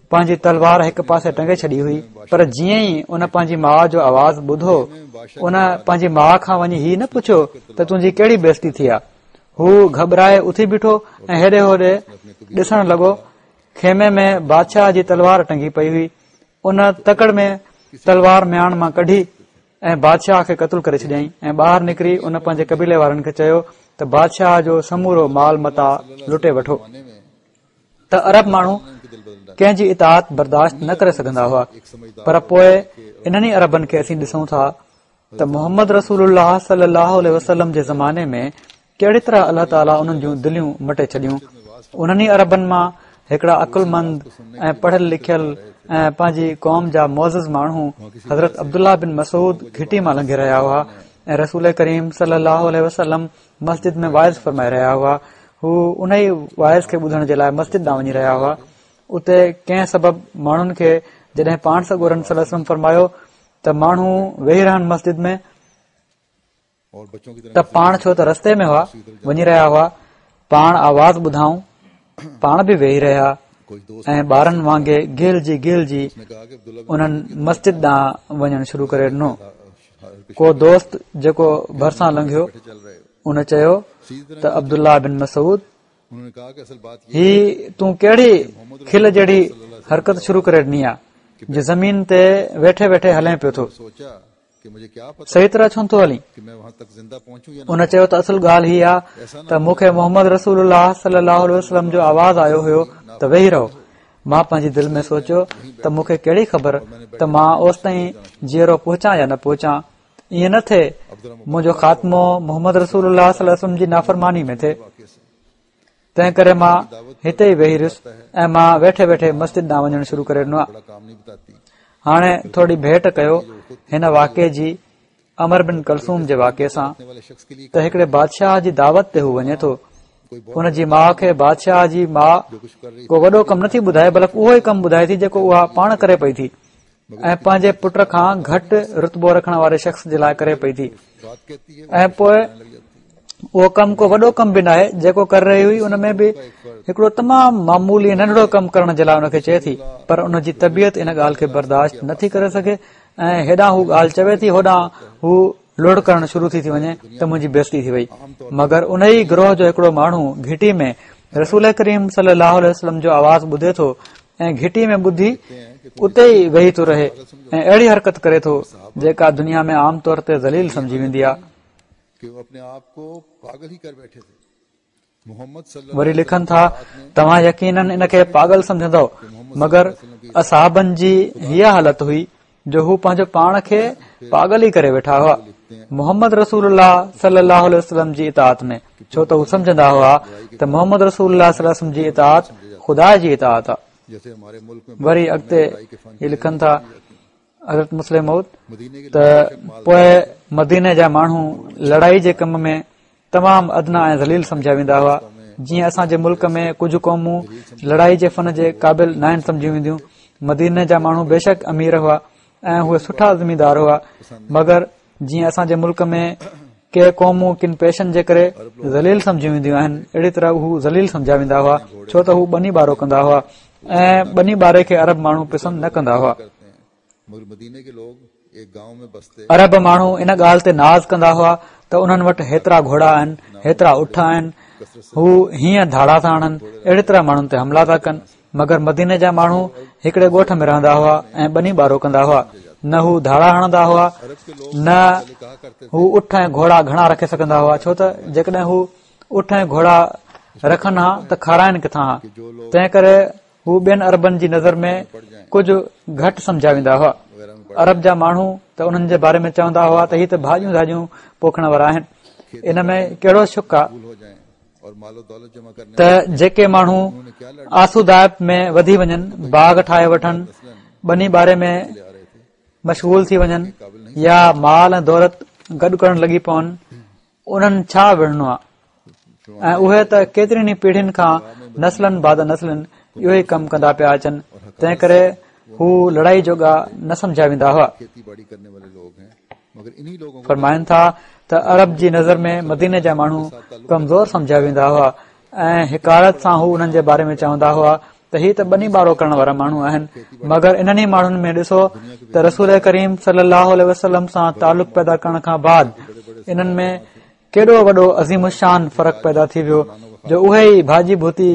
پنهنجي تلوار هڪ پاسي ٽنگي ڇڏي هئي، پر جيئن ئي ان پنهنجي ماء جو آواز ٻڌو، ان پنهنجي ماء کان وڃي هي نه پڇيو ته تنهنجي ڪهڙي بيعزتي ٿي آ. هو گهٻرائي اٿي بيٺو ۽ هيڏي هوڏي ڏسڻ لڳو. خيمي ۾ بادشاهه جي تلوار ٽنگي پئي هئي. ان تڪڙ ۾ تلوار مياڻ مان ڪڍي ۽ بادشاهه کي قتل ڪري ڇڏيائين ۽ ٻاهر نڪري ان پنهنجي قبيلي وارن کي چيو ته بادشاهه جو سمورو مال متاع لٽي وٺو. ته عرب ماڻهو ڪنهن جي اطاعت برداشت نه ڪري سگهندا هئا، پر پوء انهن ئي عربن کي اسين ڏسون ٿا ته محمد رسول الله صلي الله عليه وسلم جي زماني ۾ ڪهڙي طرح الله تعاليٰ انهن جون دليون مٽي ڇڏيون. انهن ئي عربن مان هڪڙا عقلمند ۽ پڙهيل لکيل ۽ پنهنجي قوم جا معزز ماڻهو حضرت عبدالله بن مسعود گهٽي مان لنگهي رهيا هئا ۽ رسول ڪريم صلي الله عليه وسلم مسجد ۾ وعظ فرمائي رهيا هئا. هو ان ئي وعظ کي ٻڌڻ جي لاء مسجد ڏانهن وڃي رهيا هئا. اتي ڪنهن سبب ماڻهن کي جڏهن پاڻ سڳورن صلي الله عليه وسلم فرمايو ته ماڻهو ويهي رهن مسجد ۾ ته پاڻ ڇو ته رستي ۾ هئا وڃي رهيا هئا، پاڻ آواز ٻڌائون، پاڻ به ويهي رهيا ۽ ٻارن وانگي گهلجي گهلجي انهن مسجد ڏانهن وڃڻ شروع ڪري ڏنو. ڪو دوست جيڪو ڀرسان لنگهيو ان چيو ته عبدالله بن مسعود، هي تون ڪهڙي کل جهڙي حرڪت شروع ڪري ڏني آ جو زمين تي ويٺي ويٺي هلين پيو ٿو، صحيح طرح ڇو نٿو هلين؟ ان چيو ته اصل ڳالهه هي آ ته مون کي محمد رسول الله صلي الله عليه وسلم جو آواز آيو هيو ته ويهي رهو. مان پنهنجي دل ۾ سوچيو ته مون کي ڪهڙي خبر ته مان اوستائين جيئرو پهچان يا نه پهچان، ائين نه ٿئي منهنجو خاتمو محمد رسول الله صلي الله عليه وسلم جي نافرماني ۾ ٿئي، تنهن ڪري مان هتي ئي ويهي رهيس ۽ مان ويٺي ويٺي مسجد ڏانهن وڃڻ شروع ڪري ڏنو. هاڻي ٿوري ڀيٽ ڪيو هن واقعي جي عمرو بن ڪلثوم جي واقعي سان ته هڪڙي بادشاهه جي دعوت تي هو وڃي ٿو، ان جي ماء کي بادشاهه جي ماء ڪو وڏو ڪم نٿي ٻڌائي، بلڪ اهو ئي ڪم ٻڌائي ٿي جيڪو اها پاڻ ڪري پئي ٿي ۽ پنهنجي پٽ کان گهٽ رتبو رکڻ واري شخص جي لاء ڪري پئي ٿي، ۽ پوء اهو ڪم ڪو وڏو ڪم به ناهي جيڪو ڪري رهي هئي، ان ۾ به هڪڙو تمام معمولي ننڍڙو ڪم ڪرڻ جي لاء ان کي چئي ٿي، پر ان جي طبيعت ان ڳالهه کي برداشت نٿي ڪري سگهي ۽ هيڏانهن هو ڳالهه چوي ٿي هوڏانهن هو لڙ ڪرڻ شروع ٿي ٿي وڃي ته منهنجي بيعزتي ٿي وئي. مگر ان ئي گروهه جو هڪڙو ماڻهو گهٽي ۾ رسول ڪريم صلي الله عليه وسلم جو آواز ٻڌي ٿو ۽ گهٽي ۾ ٻڌي اتي ئي ويهي ٿو رهي ۽ اهڙي حرڪت ڪري ٿو جيڪا دنيا ۾ عام طور تي ذليل سمجهي ويندي آهي. وري لکن ٿا، توهان يقيناً ان کي پاڳل سمجهندؤ، مگر اصحابن جي هيء حالت هئي جو هو پنهنجو پاڻ کي پاڳل ئي ڪري ويٺا هئا محمد رسول الله صلي الله عليه وسلم جي اطاعت ۾، ڇو ته هو سمجهندا هئا ته محمد رسول الله صلي الله عليه وسلم جي اطاعت خدا جي اطاعت آهي. وري اڳتي هي لکن ٿا حضرت مصلح موعود ته پوء مديني جا ماڻهو لڙائي جي ڪم ۾ تمام ادنيٰ ۽ ذليل سمجهيا ويندا هئا، جيئن اسان جي ملڪ ۾ ڪجهه قومون لڙائي جي فن جي قابل ناهن سمجهيون وينديون. مديني جا ماڻهو بيشڪ امير هئا ۽ اهي سٺا زميندار هئا، مگر جيئن اسان جي ملڪ ۾ ڪي قومون ڪن پيشن جي ڪري ذليل سمجهيون وينديون آهن، اهڙي طرح هو ذليل سمجهيا ويندا هئا، ڇو ته هو ٻني ٻارو ڪندا هئا ۽ ٻني ٻاري کي عرب ماڻهو پسند نه ڪندا هئا. عرب ماڻهو ان ڳالهه تي ناز ڪندا هئا ته انهن وٽ هيترا گهوڙا آهن، هيترا اٺ آهن، هو هيئن ڌاڙا ٿا هڻن، اهڙي طرح ماڻهن تي حملا ٿا ڪن. مگر مديني جا ماڻهو هڪڙي ڳوٺ ۾ رهندا هئا ۽ ٻني ٻارو ڪندا هئا. نه هو ڌاڙا هڻندا هئا، نه هو اٺ ۽ گهوڙا گهڻا رکي سگهندا هئا، ڇو ته جيڪڏهن هو اٺ ۽ گهوڙا رکن ها ته کارائن ڪٿان ها. تنهن ڪري هو ٻين عربن جي نظر ۾ ڪجهه گهٽ سمجهيا ويندا هئا. عرب جا ماڻهو ته انهن جي باري ۾ چوندا هئا ته هي ته ڀاڄيون ڌاڄيون پوکڻ وارا آهن. ان ۾ ڪهڙو شڪ آهي ته جيڪي ماڻهو آسودائپ ۾ وڌي وڃن، باغ ٺاهي وٺن، ٻني ٻاري ۾ مشغول ٿي وڃن يا مال ۽ دولت گڏ ڪرڻ لڳي پون، انهن ڇا وڙهڻو آهي؟ ۽ اهي ته ڪيترين ئي پيڙهين کان نسلن بعد نسلن اهو ئي ڪم ڪندا پيا اچن، تنهن ڪري هو لڙائي جوڳا نه سمجهيا ويندا هئا. فرمائن ٿا ته عرب جي نظر ۾ مديني جا ماڻهو ڪمزور سمجهيا ويندا هئا ۽ حقارت سان هو انهن جي باري ۾ چوندا هئا ته هي ته ٻني ٻارو ڪرڻ وارا ماڻهو آهن. مگر انهن ئي ماڻهن ۾ ڏسو ته رسول ڪريم صلي الله عليه وسلم سان تعلق پيدا ڪرڻ کان بعد انهن ۾ ڪيڏو وڏو عظيم الشان فرق پيدا ٿي ويو جو اهي ئي ڀاڄي ڀوتي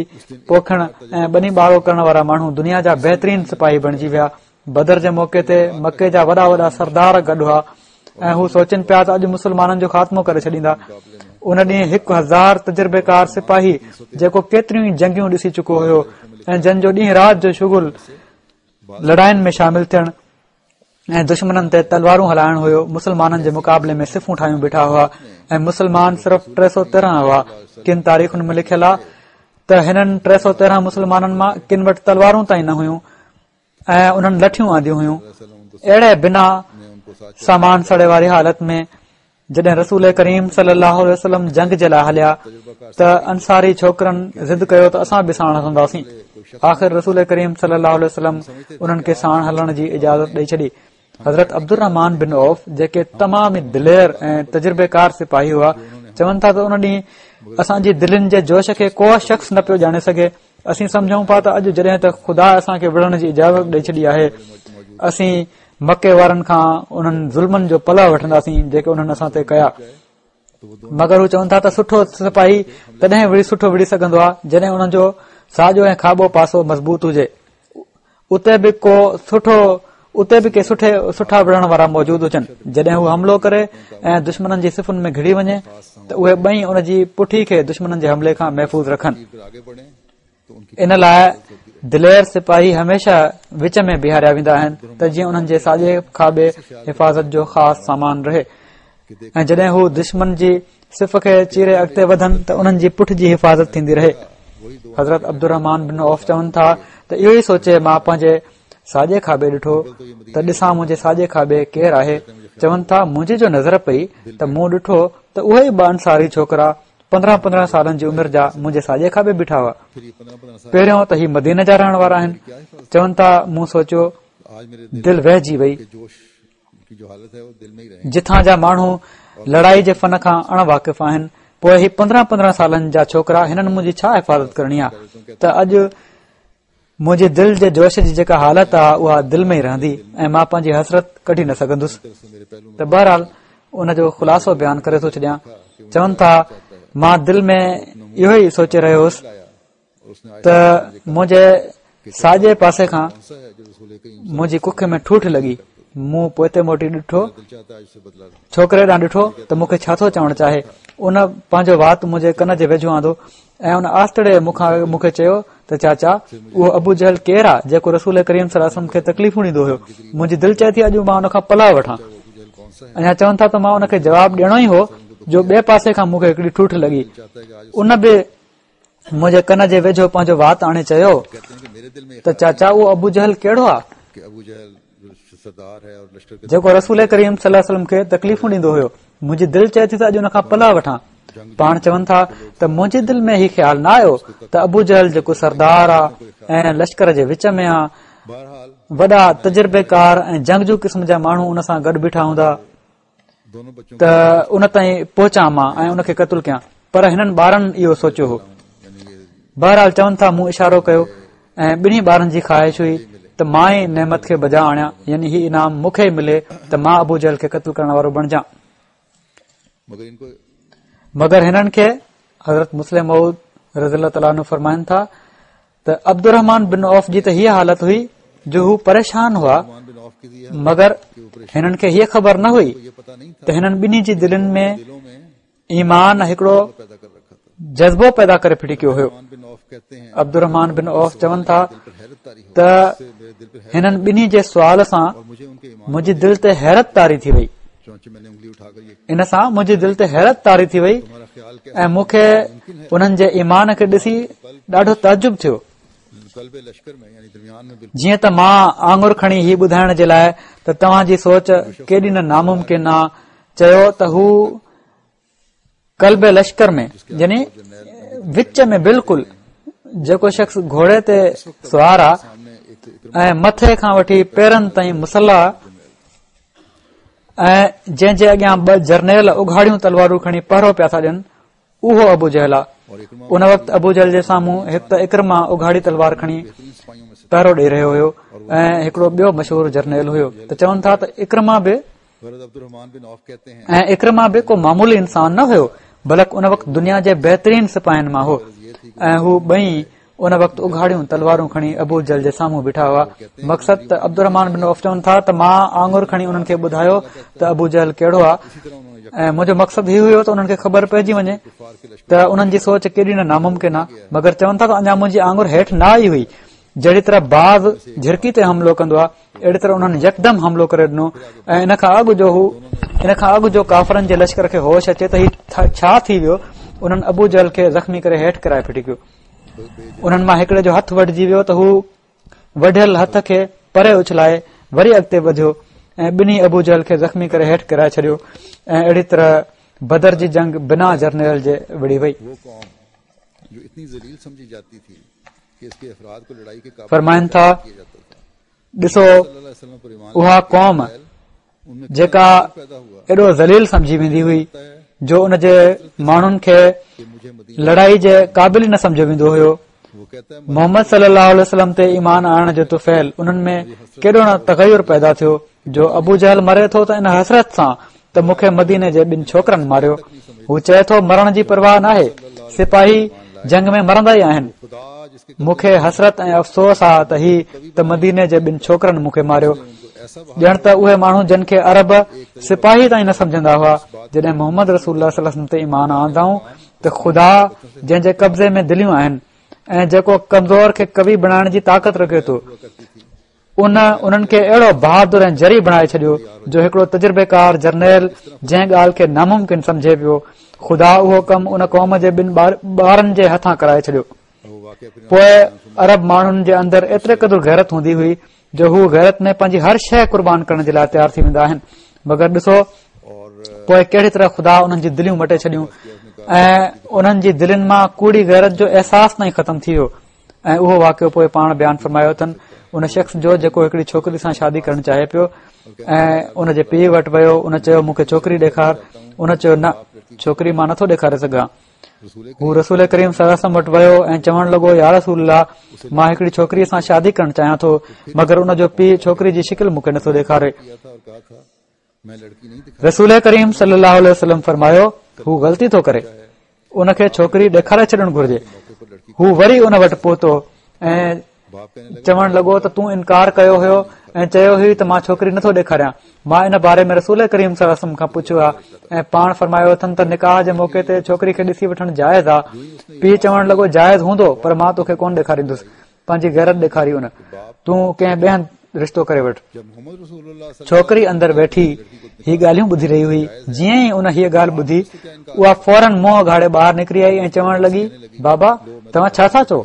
پوکڻ ۽ ٻني ٻارو ڪرڻ وارا ماڻهو دنيا جا بهترين سپاهي بڻجي ويا. بدر جي موقعي تي مڪي جا وڏا وڏا سردار گڏ هئا ۽ هو سوچن پيا ته اڄ مسلمانن جو خاتمو ڪري ڇڏيندا. ان ڏينهن هڪ هزار تجربيڪار سپاهي جيڪو ڪيتريون ئي جنگيون ڏسي چڪو هيو ۽ جن جو ڏينهن رات جو شغل لڙاين ۾ شامل ٿيڻ ۽ دشمنن تي تلوارون هلائڻ هيو، مسلمانن جي مقابلي ۾ صفون ٺاهيون بيٺا هئا ۽ مسلمان صرف ٽي سؤ تيرهن هئا. ڪن تاريخن ۾ لکيل آهي ته هنن ٽي سؤ تيرهن مسلمانن مان ڪن وٽ تلوارون تائين نه هيون ۽ انهن لٺيون آنديون هيون. اهڙي بنا سامان سڙي واري حالت ۾ جڏهن رسول ڪريم صلي الله عليه وسلم جنگ جي لاء هليا ته انصاري ڇوڪرن ضد ڪيو ته اسان به ساڻ هلنداسين. آخر رسول ڪريم صلي الله عليه وسلم انهن کي ساڻ هلڻ جي اجازت ڏئي ڇڏي. حضرت عبدالرحمان بن عوف جيڪي تمام ئي دلير ۽ تجربيڪار سپاهي هئا، چون ٿا ته ان ڏينهن اسان جي دلين جي جوش کي ڪو شخص نه پيو ڄاڻي سگهي. اسين سمجهون پيا ته اڄ جڏهن ته خدا اسان کي وڙهڻ جي اجازت ڏئي ڇڏي آهي، اسين مڪي وارن کان انهن ظلمن جو پلئه وٺنداسين جيڪي انهن اسان تي ڪيا. مگر هو چون ٿا ته سٺو سپاهي تڏهن وڙهي سٺو وڙهي سگهندو آهي جڏهن انهن جو ساڄو ۽ کاٻو پاسو مضبوط هجي، اتي به ڪو سٺو اتي به ڪي سٺي سٺا وڙهڻ وارا موجود هجن. جڏهن هو حملو ڪري ۽ دشمنن جي صفن ۾ گهڙي وڃي ته اهي ٻئي ان جي پٺي کي دشمنن جي حملي کان محفوظ رکن. ان لاء دلير سپاهي هميشه وچ ۾ بيهاريا ويندا آهن ته جيئن انهن جي ساڄي کاٻي حفاظت جو خاص سامان رهي ۽ جڏهن هو دشمن جي صف کي چيري اڳتي وڌن ته انهن جي پٺ جي حفاظت ٿيندي رهي. حضرت عبدالرحمان بن عوف چون ٿا ته اهو ئي سوچي مان پنهنجي ساڄي کاٻي ڏٺو ته ڏسان منهنجي ساڄي کاٻي ڪير آهي. چون ٿا منهنجي جو نظر پئي ته مون ڏٺو ته اهي ئي ٻه انصاري ڇوڪرا پندرهن پندرهن سالن جي عمر جا منهنجي ساڄي کاٻي بيٺا هئا. پهريون ته هي مديني جا رهڻ وارا آهن. چون ٿا مون سوچيو دل وهجي وئي. جتان جا ماڻهو لڙائي جي فن کان اڻ واقف آهن، پوء هي پندرهن پندرهن سالن جا ڇوڪرا هنن منهنجي ڇا حفاظت ڪرڻي آهي ته اڄ منهنجي دل جي جوش جي جيڪا حالت آهي اها دل ۾ ئي رهندي ۽ مان پنهنجي حسرت ڪڍي نه سگهندس. ته بهرحال ان جو خلاصو بيان ڪري ٿو ڇڏيان. چون ٿا مان دل ۾ اهو ئي سوچي رهيو هوس ته منهنجي ساڄي پاسي کان منهنجي ڪک ۾ ٺوٺ لڳي. مون پوئتي موٽي ڏٺو، ڇوڪري ڏانهن ڏٺو ته مون کي ڇا ٿو چوڻ چاهي. ان پنهنجو وات منهنجي ڪن جي ويجهو آندو ۽ ان آستڙي مون کان مون کي چيو ته چاچا اهو ابو جهل ڪير آ جيڪو رسول ڪريم صلي الله عليه وسلم کي تڪليفون ڏيندو هيو؟ منهنجي دل چئي ٿي اڄ مان ان کان پلئه وٺان. اڃا چون ٿا ته مان ان کي جواب ڏيڻو ئي هو جو ٻئي پاسي کان مون کي هڪڙي ٺوٺ لڳي. ان به منهنجي ڪن جي ويجهو پنهنجو وات آڻي چيو ته چاچا اهو ابو جهل ڪهڙو آ جيڪو رسول ڪريم صلي الله عليه وسلم کي تڪليفون ڏيندو هيو؟ منهنجي دل چئي ٿي ته اڄ ان کان پلئه وٺان. پاڻ چون ٿا ته منهنجي دل ۾ هي خيال نه آيو ته ابو جهل جيڪو سردار آ ۽ لشڪر جي وچ ۾ آ، وڏا تجربيڪار ۽ جنگجو قسم جا ماڻهو ان سان گڏ بيٺا هوندا ته ان تائين پهچان مان ۽ ان کي قتل ڪيان، پر هنن ٻارن اهو سوچيو هو. بهرحال چون ٿا مون اشارو ڪيو ۽ ٻنهي ٻارن جي خواهش هئي ته مان ئي نعمت کي بجا آڻيان، يعني هي انعام مون کي ئي ملي ته مان ابو جهل کي قتل ڪرڻ وارو بڻجان. مگر هنن کي حضرت مصلح موعود رضي الله تعاليٰ عنه فرمائن ٿا ته عبدالرحمان بن عوف جي ته هيء حالت هئي جو هو پريشان هئا، مگر هنن کي هيء خبر نه هئي ته هنن ٻنهي جي دلين ۾ ايمان هڪڙو جذبو پيدا ڪري ڦٽي ڪيو هيو. عبدالرحمان بن عوف چون ٿا ته هنن ٻنهي جي سوال سان منهنجي دل تي حيرت طاري ٿي وئي، ان سان منهنجي دل تي حيرت طاري ٿي وئي ۽ مون کي انهن جي ايمان کي ڏسي ڏاڍو تعجب ٿيو. جيئن ته مان آڱر کڻي هي ٻڌائڻ جي لاء ته توهان جي سوچ ڪيڏي نه ناممڪن آ چيو ته هو قلب لشڪر ۾ يعني وچ ۾ بلڪل جيڪو شخص گهوڙي تي سوار آ ۽ مٿي کان وٺي پيرن تائين مسلح ۽ جنهن جي اڳيان ٻه جرنيل اگهاڙيون تلوارون کڻي پهرو پيا ٿا ڏين اهو ابو جهل آ. ان وقت ابو جهل جي سامهون هڪ ته عڪرمه اگهاڙي تلوار کڻي پهرو ڏئي رهيو هيو ۽ هڪڙو ٻيو مشهور جرنيل هيو ته چون ٿا ته عڪرمه به ۽ عڪرمه به ڪو معمولي انسان نه هيو، بلڪ ان وقت دنيا جي بهترين سپاهين مان هو ۽ هو ٻئي ان وقت اگهاڙيون تلوارون کڻي ابو جهل جي سامهون بيٺا هئا. مقصد ته عبدالرحمان بن عوف چون ٿا ته مان آڱر کڻي انهن کي ٻڌايو ته ابو جهل ڪهڙو آهي ۽ منهنجو مقصد هي هيو ته انهن کي خبر پئجي وڃي ته انهن جي سوچ ڪيڏي نه ناممڪن آهي. مگر چون ٿا ته اڃا منهنجي آڱر هيٺ نه آئي هئي، جهڙي طرح باز جهرڪي تي حملو ڪندو آهي اهڙي طرح انهن يڪدم حملو ڪري ڏنو ۽ ان کان اڳ جو هو ان کان اڳ جو ڪافرن جي لشڪر کي هوش اچي ته هي ڇا ٿي ويو، انهن ابو جهل کي زخمي ڪري هيٺ ڪرائي ڦٽي ڪيو. انهن مان هڪڙي جو هٿ وڍجي ويو ته هو وڍيل هٿ کي پري اڇلائي وري اڳتي وڌيو ۽ ٻنهي ابو جهل کي زخمي ڪري هيٺ ڪرائي ڇڏيو ۽ اهڙي طرح بدر جي جنگ بنا جرنيل جي وڙهي وئي. فرمائن ٿا ڏسو اها قوم جيڪا ايڏو ذليل سمجهي ويندي هئي جو ان جي ماڻهن کي لڙائي جي قابل ئي نه سمجهيو ويندو هيو، محمد صلي الله عليه وسلم تي ايمان آڻڻ جو طفيل انهن ۾ ڪيڏو نه تغير پيدا ٿيو جو ابو جهل مري ٿو ته ان حسرت سان ته مون کي مديني جي ٻن ڇوڪرن ماريو. هو چئي ٿو مرڻ جي پرواهه ناهي، سپاهي جنگ ۾ مرندا ئي آهن. مون کي حسرت ۽ افسوس آ ته هي ته مديني جي ٻن ڇوڪرن مون کي ماريو. ڄڻ ته اهي ماڻهو جن کي عرب سپاهي تائين نه سمجهندا هئا، جڏهن محمد رسول الله صلي الله عليه وسلم تي ايمان آندائون ته خدا جنهن جي قبضي ۾ دليون آهن ۽ جيڪو ڪمزور کي قوي بڻائڻ جي طاقت رکي ٿو، ان انهن کي اهڙو بهادر ۽ جري بڻائي ڇڏيو جو هڪڙو تجربيڪار جرنيل جنهن ڳالهه کي ناممڪن سمجهي پيو، خدا اهو ڪم ان قوم جي ٻن ٻارن جي هٿان ڪرائي ڇڏيو. پوء عرب ماڻهن جي اندر ايتري قدر غيرت هوندي هئي جو هو غيرت ۾ پنهنجي هر شيء قربان ڪرڻ جي لاء تيار ٿي ويندا آهن. مگر ڏسو پوء ڪهڙي طرح خدا انهن جي دليون مٽي ڇڏيون ۽ انهن جي دلين مان ڪوڙي غيرت جو احساس تائين ختم ٿي ويو. ۽ اهو واقعو پوء پاڻ بيان فرمايو اٿن ان شخص جو جيڪو هڪڙي ڇوڪري سان شادي ڪرڻ چاهي پيو ۽ ان جي پيء وٽ ويو. ان چيو مون کي ڇوڪري ڏيکار. ان چيو نه، ڇوڪري مان نٿو ڏيکاري سگهان. هو رسول ڪريم صلي الله عليه وسلم وٽ ويو ۽ چوڻ لڳو يا رسول الله، مان هڪڙي ڇوڪري سان شادي ڪرڻ چاهيان ٿو، مگر ان جو پيء ڇوڪري جي شڪل مون کي نٿو ڏيکاري. رسول ڪريم صلي الله عليه وسلم فرمايو هو غلطي ٿو ڪري، ان کي ڇوڪري ڏيکاري ڇڏڻ گهرجي. هو وري ان وٽ پهتو ۽ چوڻ لڳو ته تون انڪار ڪيو هيو ۽ چيو هئي ته مان ڇوڪري نٿو ڏيکاريان. مان ان باري ۾ رسول ڪريم صلي الله عليه وسلم کان پڇيو آهي ۽ پاڻ فرمايو اٿن ته نڪاح جي موقعي تي ڇوڪري کي ڏسي وٺڻ جائز آهي. پيء چوڻ لڳو جائز هوندو پر مان توکي ڪونه ڏيکاريندس. پنهنجي غيرت ڏيکاري ان، تون ڪنهن ٻئي هنڌ رشتو ڪري وٺ. ڇوڪري اندر ويٺي هي ڳالهيون ٻڌي رهي هئي. جيئن ئي ان هيء ڳالهه ٻڌي اها فوراً منهن اگهاڙي ٻاهر نڪري آئي ۽ چوڻ لڳي بابا توهان ڇا ٿا چئو؟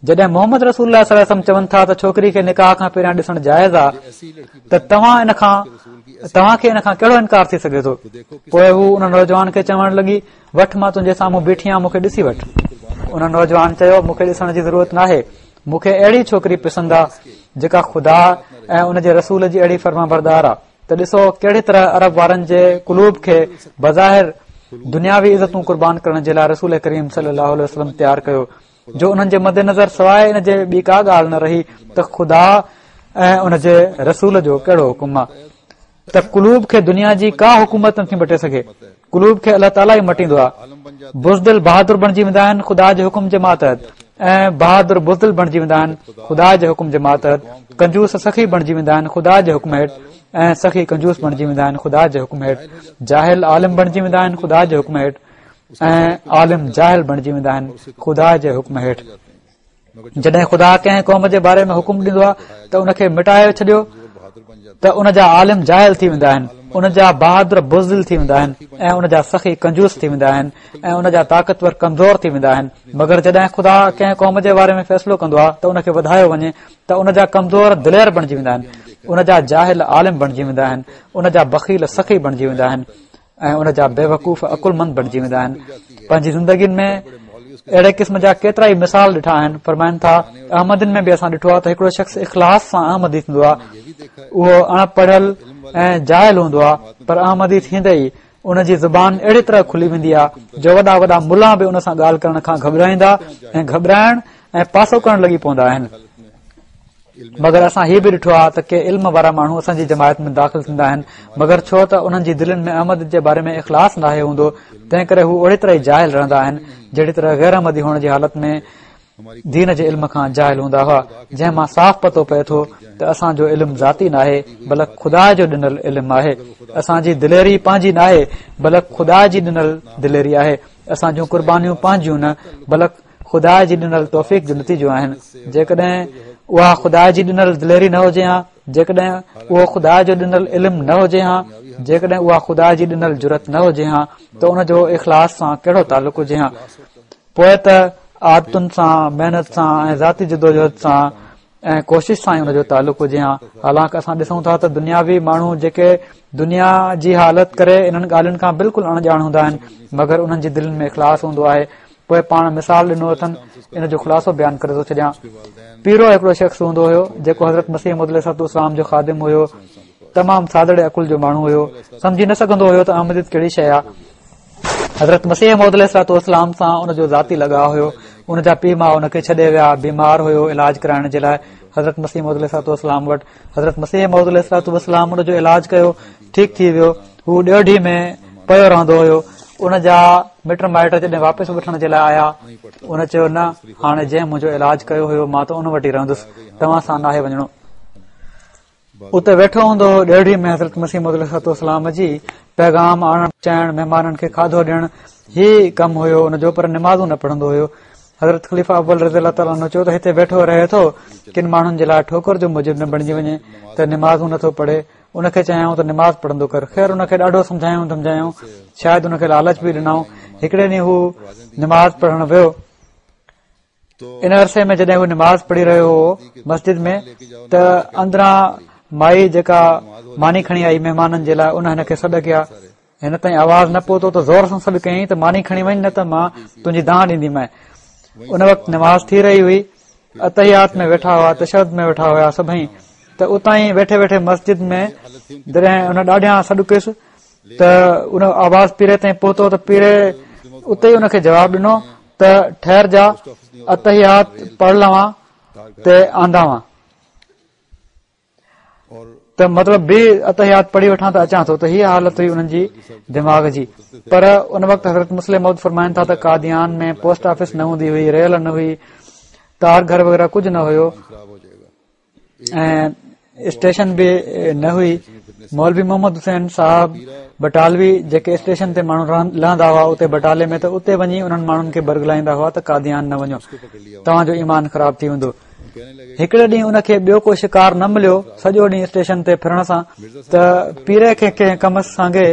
جڏهن محمد رسول الله صلي الله عليه وسلم چون ٿا ته ڇوڪري کي نڪاح کان پهريان ڏسڻ جائز آ ته توهان ان کان توهان کي ان کان ڪهڙو انڪار ٿي سگهي ٿو؟ پوء هو ان نوجوان کي چوڻ لڳي وٺ مان تنهنجي سامهون بيٺي آهيان مون کي ڏسي وٺ. ان نوجوان چيو مون کي ڏسڻ جي ضرورت ناهي، مون کي اهڙي ڇوڪري پسند آ جيڪا خدا ۽ ان جي رسول جي اهڙي فرمانبردار آ. ته ڏسو ڪهڙي طرح عرب وارن جي قلوب کي بظاهر دنياوي عزتون قربان ڪرڻ جي لاء رسول ڪريم صلي الله عليه وسلم تيار ڪيو جو انهن جي مد نظر سواء ان جي ٻي ڪا ڳالهه نه رهي ته خدا ۽ ان جي رسول جو ڪهڙو حڪم آهي. ته قلوب کي دنيا جي ڪا حڪومت نٿي مٽي سگهي، قلوب کي الله تعاليٰ ئي مٽيندو آهي. بزدل بهادر بڻجي ويندا آهن خدا جي حڪم جي ماتحت، ۽ بهادر بزدل بڻجي ويندا آهن خدا جي حڪم جي ماتحت. ڪنجوس سخي بڻجي ويندا آهن خدا جي حڪم هيٺ، ۽ سخي ڪنجوس بڻجي ويندا آهن خدا جي حڪم هيٺ. جاهل عالم بڻجي ويندا آهن خدا جي حڪم هيٺ، ۽ عالم جاهل بڻجي ويندا آهن خدا جي حڪم هيٺ. جڏهن خدا ڪنهن قوم جي باري ۾ حڪم ڏيندو آهي ته ان کي مٽائي ڇڏيو ته ان جا عالم جاهل ٿي ويندا آهن، ان جا بهادر بزدل ٿي ويندا آهن، ۽ ان جا سخي ڪنجوس ٿي ويندا آهن، ۽ ان جا طاقتور ڪمزور ٿي ويندا آهن. مگر جڏهن خدا ڪنهن قوم جي باري ۾ فيصلو ڪندو آهي ته ان کي وڌايو وڃي ته ان جا ڪمزور دلير بڻجي ويندا آهن، ان جا جاهل عالم بڻجي ويندا آهن، ان جا بخيل سخي بڻجي ويندا آهن، ۽ ان جا بيوقوف عقلمند بڻجي ويندا آهن. پنهنجي زندگين ۾ اهڙي قسم جا ڪيترا ئي مثال ڏٺا آهن. فرمائن ٿا احمدين ۾ به اسان ڏٺو آهي ته هڪڙو شخص اخلاص سان احمدي ٿيندو آهي، اهو اڻ پڙهيل ۽ جاهل هوندو آهي، پر احمدي ٿيندي ئي ان جي زبان اهڙي طرح کلي ويندي آهي جو وڏا وڏا ملا به ان سان ڳالهه ڪرڻ کان گهٻرائيندا ۽ گهٻرائڻ ۽ پاسو ڪرڻ لڳي پوندا آهن. مگر اسان هي به ڏٺو آهي ته ڪي علم وارا ماڻهو اسان جي جماعت ۾ داخل ٿيندا آهن، مگر ڇو ته انهن جي دلين ۾ احمد جي باري ۾ اخلاص ناهي هوندو، تنهن ڪري هو اهڙي طرح ئي جاهل رهندا آهن جهڙي طرح غير احمدي هئڻ جي حالت ۾ دين جي علم کان جاهل هوندا هئا، جنهن مان صاف پتو پئي ٿو ته اسان جو علم ذاتي ناهي بلڪ خدا جو ڏنل علم آهي. اسان جي دليري پنهنجي ناهي بلڪ خدا جي ڏنل دليري آهي. اسان جون قربانيون پنهنجيون نه بلڪ خدا جي ڏنل توفيق جو نتيجو آهن. جيڪڏهن اها خدا جي ڏنل دليري نه هجي ها، جيڪڏهن اهو خدا جو ڏنل علم نه هجي ها، جيڪڏهن اها خدا جي ڏنل جرئت نه هجي ها ته ان جو اخلاص سان ڪهڙو تعلق هجي ها؟ پوء ته عادتن سان، محنت سان ۽ ذاتي جدوجهد سان ۽ ڪوشش سان ئي ان جو تعلق هجي ها. حالانڪ اسان ڏسون ٿا ته دنياوي ماڻهو جيڪي دنيا جي حالت ڪري انهن ڳالهين کان بلڪل اڻ ڄاڻ هوندا آهن، مگر انهن جي دلين ۾ اخلاص هوندو آهي. پوء پاڻ مثال ڏنو اٿن، ان جو خلاصو بيان ڪري ٿو ڇڏيان. پيرو هڪڙو شخص هوندو هيو جيڪو حضرت مسيح موعود عليه الصلوة والسلام جو خادم هيو. تمام سادڙي عقل جو ماڻهو هيو، سمجهي نه سگهندو هيو ته احمديت ڪهڙي شيء آهي. حضرت مسيح موعود عليه الصلوة والسلام سان ان جو ذاتي لڳاء هيو. ان جا پيء ماء ان کي ڇڏي ويا، بيمار هيو، علاج ڪرائڻ جي لاء حضرت مسيح موعود عليه الصلوة والسلام وٽ. حضرت مسيح موعود عليه الصلوة والسلام ان جو علاج ڪيو، ٺيڪ ٿي ويو. هو ڏيوڍي ۾ پيو رهندو هيو. ان جا مٽ مائٽ جڏهن واپس وٺڻ جي لاء آيا، ان چيو نه، هاڻي جنهن منهنجو علاج ڪيو هيو مان ته ان وٽ ئي رهندس، توهان سان ناهي وڃڻو. اتي ويٺو هوندو هو ڏيوڍي ۾ حضرت مسيح موعود عليه الصلوة والسلام جي پيغام آڻڻ پهچائڻ، مهمانن کي کاڌو ڏيڻ، هي ڪم هيو ان جو، پر نمازون نه پڙهندو هيو. حضرت خليفه اول رضي الله تعالٰي عنه چيو ته هتي ويٺو رهي ٿو، ڪن ماڻهن جي لاء ٺوڪر جو موجب نه بڻجي وڃي ته نمازون نٿو پڙهي. ان کي چيائون ته نماز پڙهندو ڪر. خير ان کي ڏاڍو سمجهايائون ڌمجايائون، شايد ان کي لالچ به ڏنائون. هڪڙي ڏينهن هو نماز پڙهڻ ويو. ان عرصي ۾ جڏهن هو نماز پڙهي رهيو هو مسجد ۾ ته اندران مائي جيڪا ماني کڻي آئي مهمانن جي لاء، ان هن کي سڏ ڪيا. هن تائين آواز نه پهتو ته زور سان سڏ ڪيائين ته ماني کڻي وڃ نه ته مان تنهنجي دانهن ڏينديمانء. ان وقت نماز ٿي رهي هئي، التحيات ۾ ويٺا هئا، تشهد ۾ ويٺا هيا سڀئي، ته اتان ئي ويٺي ويٺي مسجد ۾ جڏهن ان ڏاڍيان سڏ ڪيس ته ان آواز پيري تائين پهتو ته پيري اتي ئي ان کي جواب ڏنو ته ٺهر جا التحيات پڙهه لوان ته آنداوان، ته مطلب به التحيات پڙهي وٺان ته اچان ٿو. ته هيء حالت هئي انهن جي دماغ جي. پر ان وقت حضرت مصلح موعود فرمائن ٿا ته قاديان ۾ پوسٽ آفيس نه هوندي هئي، ريل نه هئي، تار گهر وغيره ڪجهه نه هيو ۽ اسٽيشن به نه هئي. مولوي محمد حسين صاحب بٽالوي جيڪي اسٽيشن تي ماڻهو لهندا هئا اتي بٽالي ۾ ته اتي وڃي انهن ماڻهن کي برغلائيندا هئا ته قاديان نه وڃو، توهان جو ايمان خراب ٿي ويندو. هڪڙي ڏينهن ان کي ٻيو ڪو شڪار نه مليو سڄو ڏينهن اسٽيشن تي ڦرڻ سان، ته پيري کي ڪنهن ڪم سانگي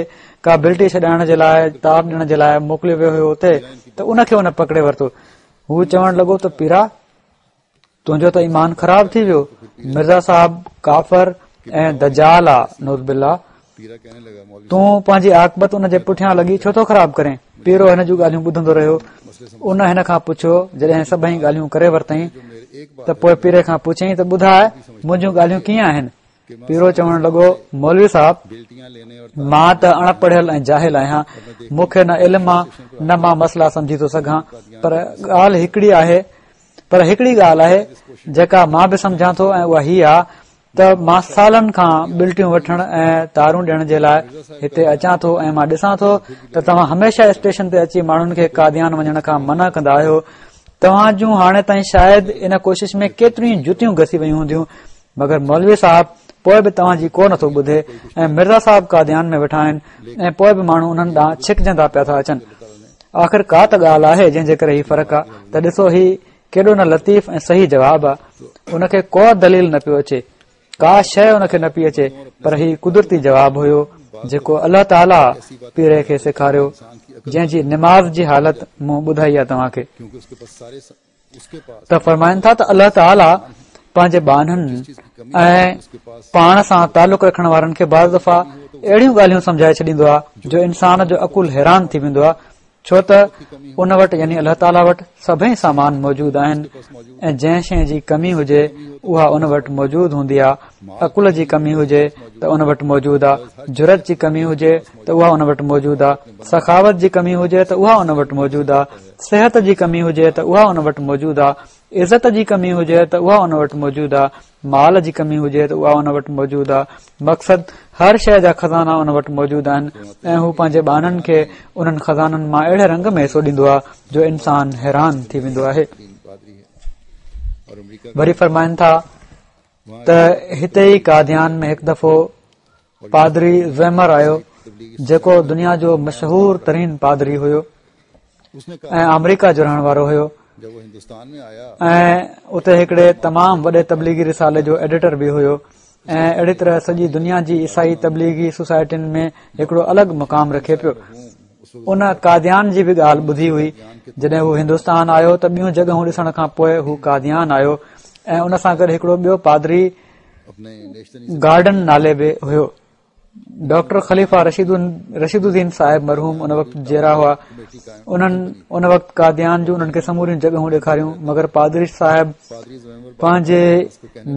ڪا بلٽي ڇڏائڻ جي لاء تار ڏيڻ جي لاء موڪليو ويو هيو اتي، ته ان کي ان پڪڙي ورتو. هو چوڻ لڳو ته پيرا تنهنجو ته ايمان خراب ٿي ويو، مرزا صاحب ڪافر ۽ دجال آ، نعوذ بالله، تون پنهنجي عاقبت ان جي پٺيان لڳي ڇو ٿو خراب ڪرين؟ پيرو هن جون ڳالهيون ٻڌندو رهيو. ان هن کان پڇيو، جڏهن سڀئي ڳالهيون ڪري ورتائين ته پوء پيري کان پڇيائين ته ٻڌاء منهنجون ڳالهيون ڪيئن آهن؟ پيرو چوڻ لڳو، مولوي صاحب مان ته اڻ پڙهيل ۽ جاهل آهيان، مون کي نه علم آ نه مان مسئلا سمجهي ٿو سگهان، پر ڳالهه هڪڙي آهي، پر هڪڙي ڳالهه آهي جيڪا مان به سمجهان ٿو ۽ اها هي آ ته مان سالن کان بلٽيون وٺڻ ۽ تارون ڏيڻ جي لاء هتي اچان ٿو ۽ مان ڏسان ٿو ته توهان هميشه اسٽيشن تي اچي ماڻهن کي قاديان وڃڻ کان منع ڪندا آهيو. توهان جون هاڻي تائين شايد ان ڪوشش ۾ ڪيتريون جتيون گسي ويون هونديون، مگر مولوي صاحب پوءِ به توهان جي ڪو نٿو ٻڌي ۽ مرزا صاحب قاديان ۾ ويٺا آهن ۽ پوءِ به ماڻهو انهن ڏانهن ڇڪجندا پيا ٿا اچن. آخر ڪا ته ڳالهه آهي جنهن جي ڪري هي فرق آهي. ته ڏسو هي ڪيڏو نه لطيف ۽ صحيح جواب آهي. ان کي ڪو دليل نه پيو اچي، ڪا شيءِ ان کي نه پئي اچي، پر هي قدرتي جواب هيو جيڪو الله تعاليٰ پيري کي سيکاريو، جنهن جي نماز جي حالت مون ٻڌائي آهي توهان کي. ته فرمائن ٿا ته الله تعاليٰ پنهنجي ٻانهن ۽ پاڻ سان تعلق رکڻ وارن کي بعض دفعا اهڙيون ڳالهيون سمجهائي ڇڏيندو آهي جو انسان جو عقل حيران ٿي ويندو آهي، ڇو ته ان وٽ يعني الله تعاليٰ وٽ سڀئي سامان موجود آهن ۽ جنهن شيءِ جي ڪمي هجي اها ان وٽ موجود هوندي آهي. عقل جي ڪمي هجي ته ان وٽ موجود آهي، جرئت جي ڪمي هجي ته اها ان وٽ موجود آهي، سخاوت جي ڪمي هجي ته اها ان وٽ موجود آهي، صحت جي ڪمي هجي ته اها ان وٽ موجود آهي، عزت جي ڪمي هجي ته اها ان وٽ موجود آهي، مال جي ڪمي هجي ته اها ان وٽ موجود آهي. مقصد هر شيءِ جا خزانا ان وٽ موجود آهن ۽ هو پنهنجي ٻانهن کي انهن خزانن مان اهڙي رنگ ۾ حصو ڏيندو آهي جو انسان حيران ٿي ويندو آهي. وري فرمائن ٿا ته هتي ئي قاديان ۾ هڪ دفعو پادري زيمر آيو جيڪو دنيا جو مشهور ترين پادري هيو ۽ آمريڪا جو رهڻ وارو هيو ۽ اتي هڪڙي تمام وڏي تبليغي رسالي جو ايڊيٽر به هيو ۽ اهڙي طرح سڄي دنيا جي عيسائي تبليغي سوسائٽين ۾ هڪڙو الڳ مقام رکي پيو. ان قاديان جي به ڳالهه ٻڌي هئي. جڏهن هو هندستان آيو ته ٻيون جڳهون ڏسڻ کان پوءِ هو قاديان آيو ۽ ان سان گڏ هڪڙو ٻيو پادري گارڊن نالي به هيو. ڊاڪٽر خليفه رشيد الدين صاحب مرحوم ان وقت جيئرا هئا. انهن ان وقت قاديان جون انهن کي سموريون جڳهون ڏيکاريون، مگر پادري صاحب پنهنجي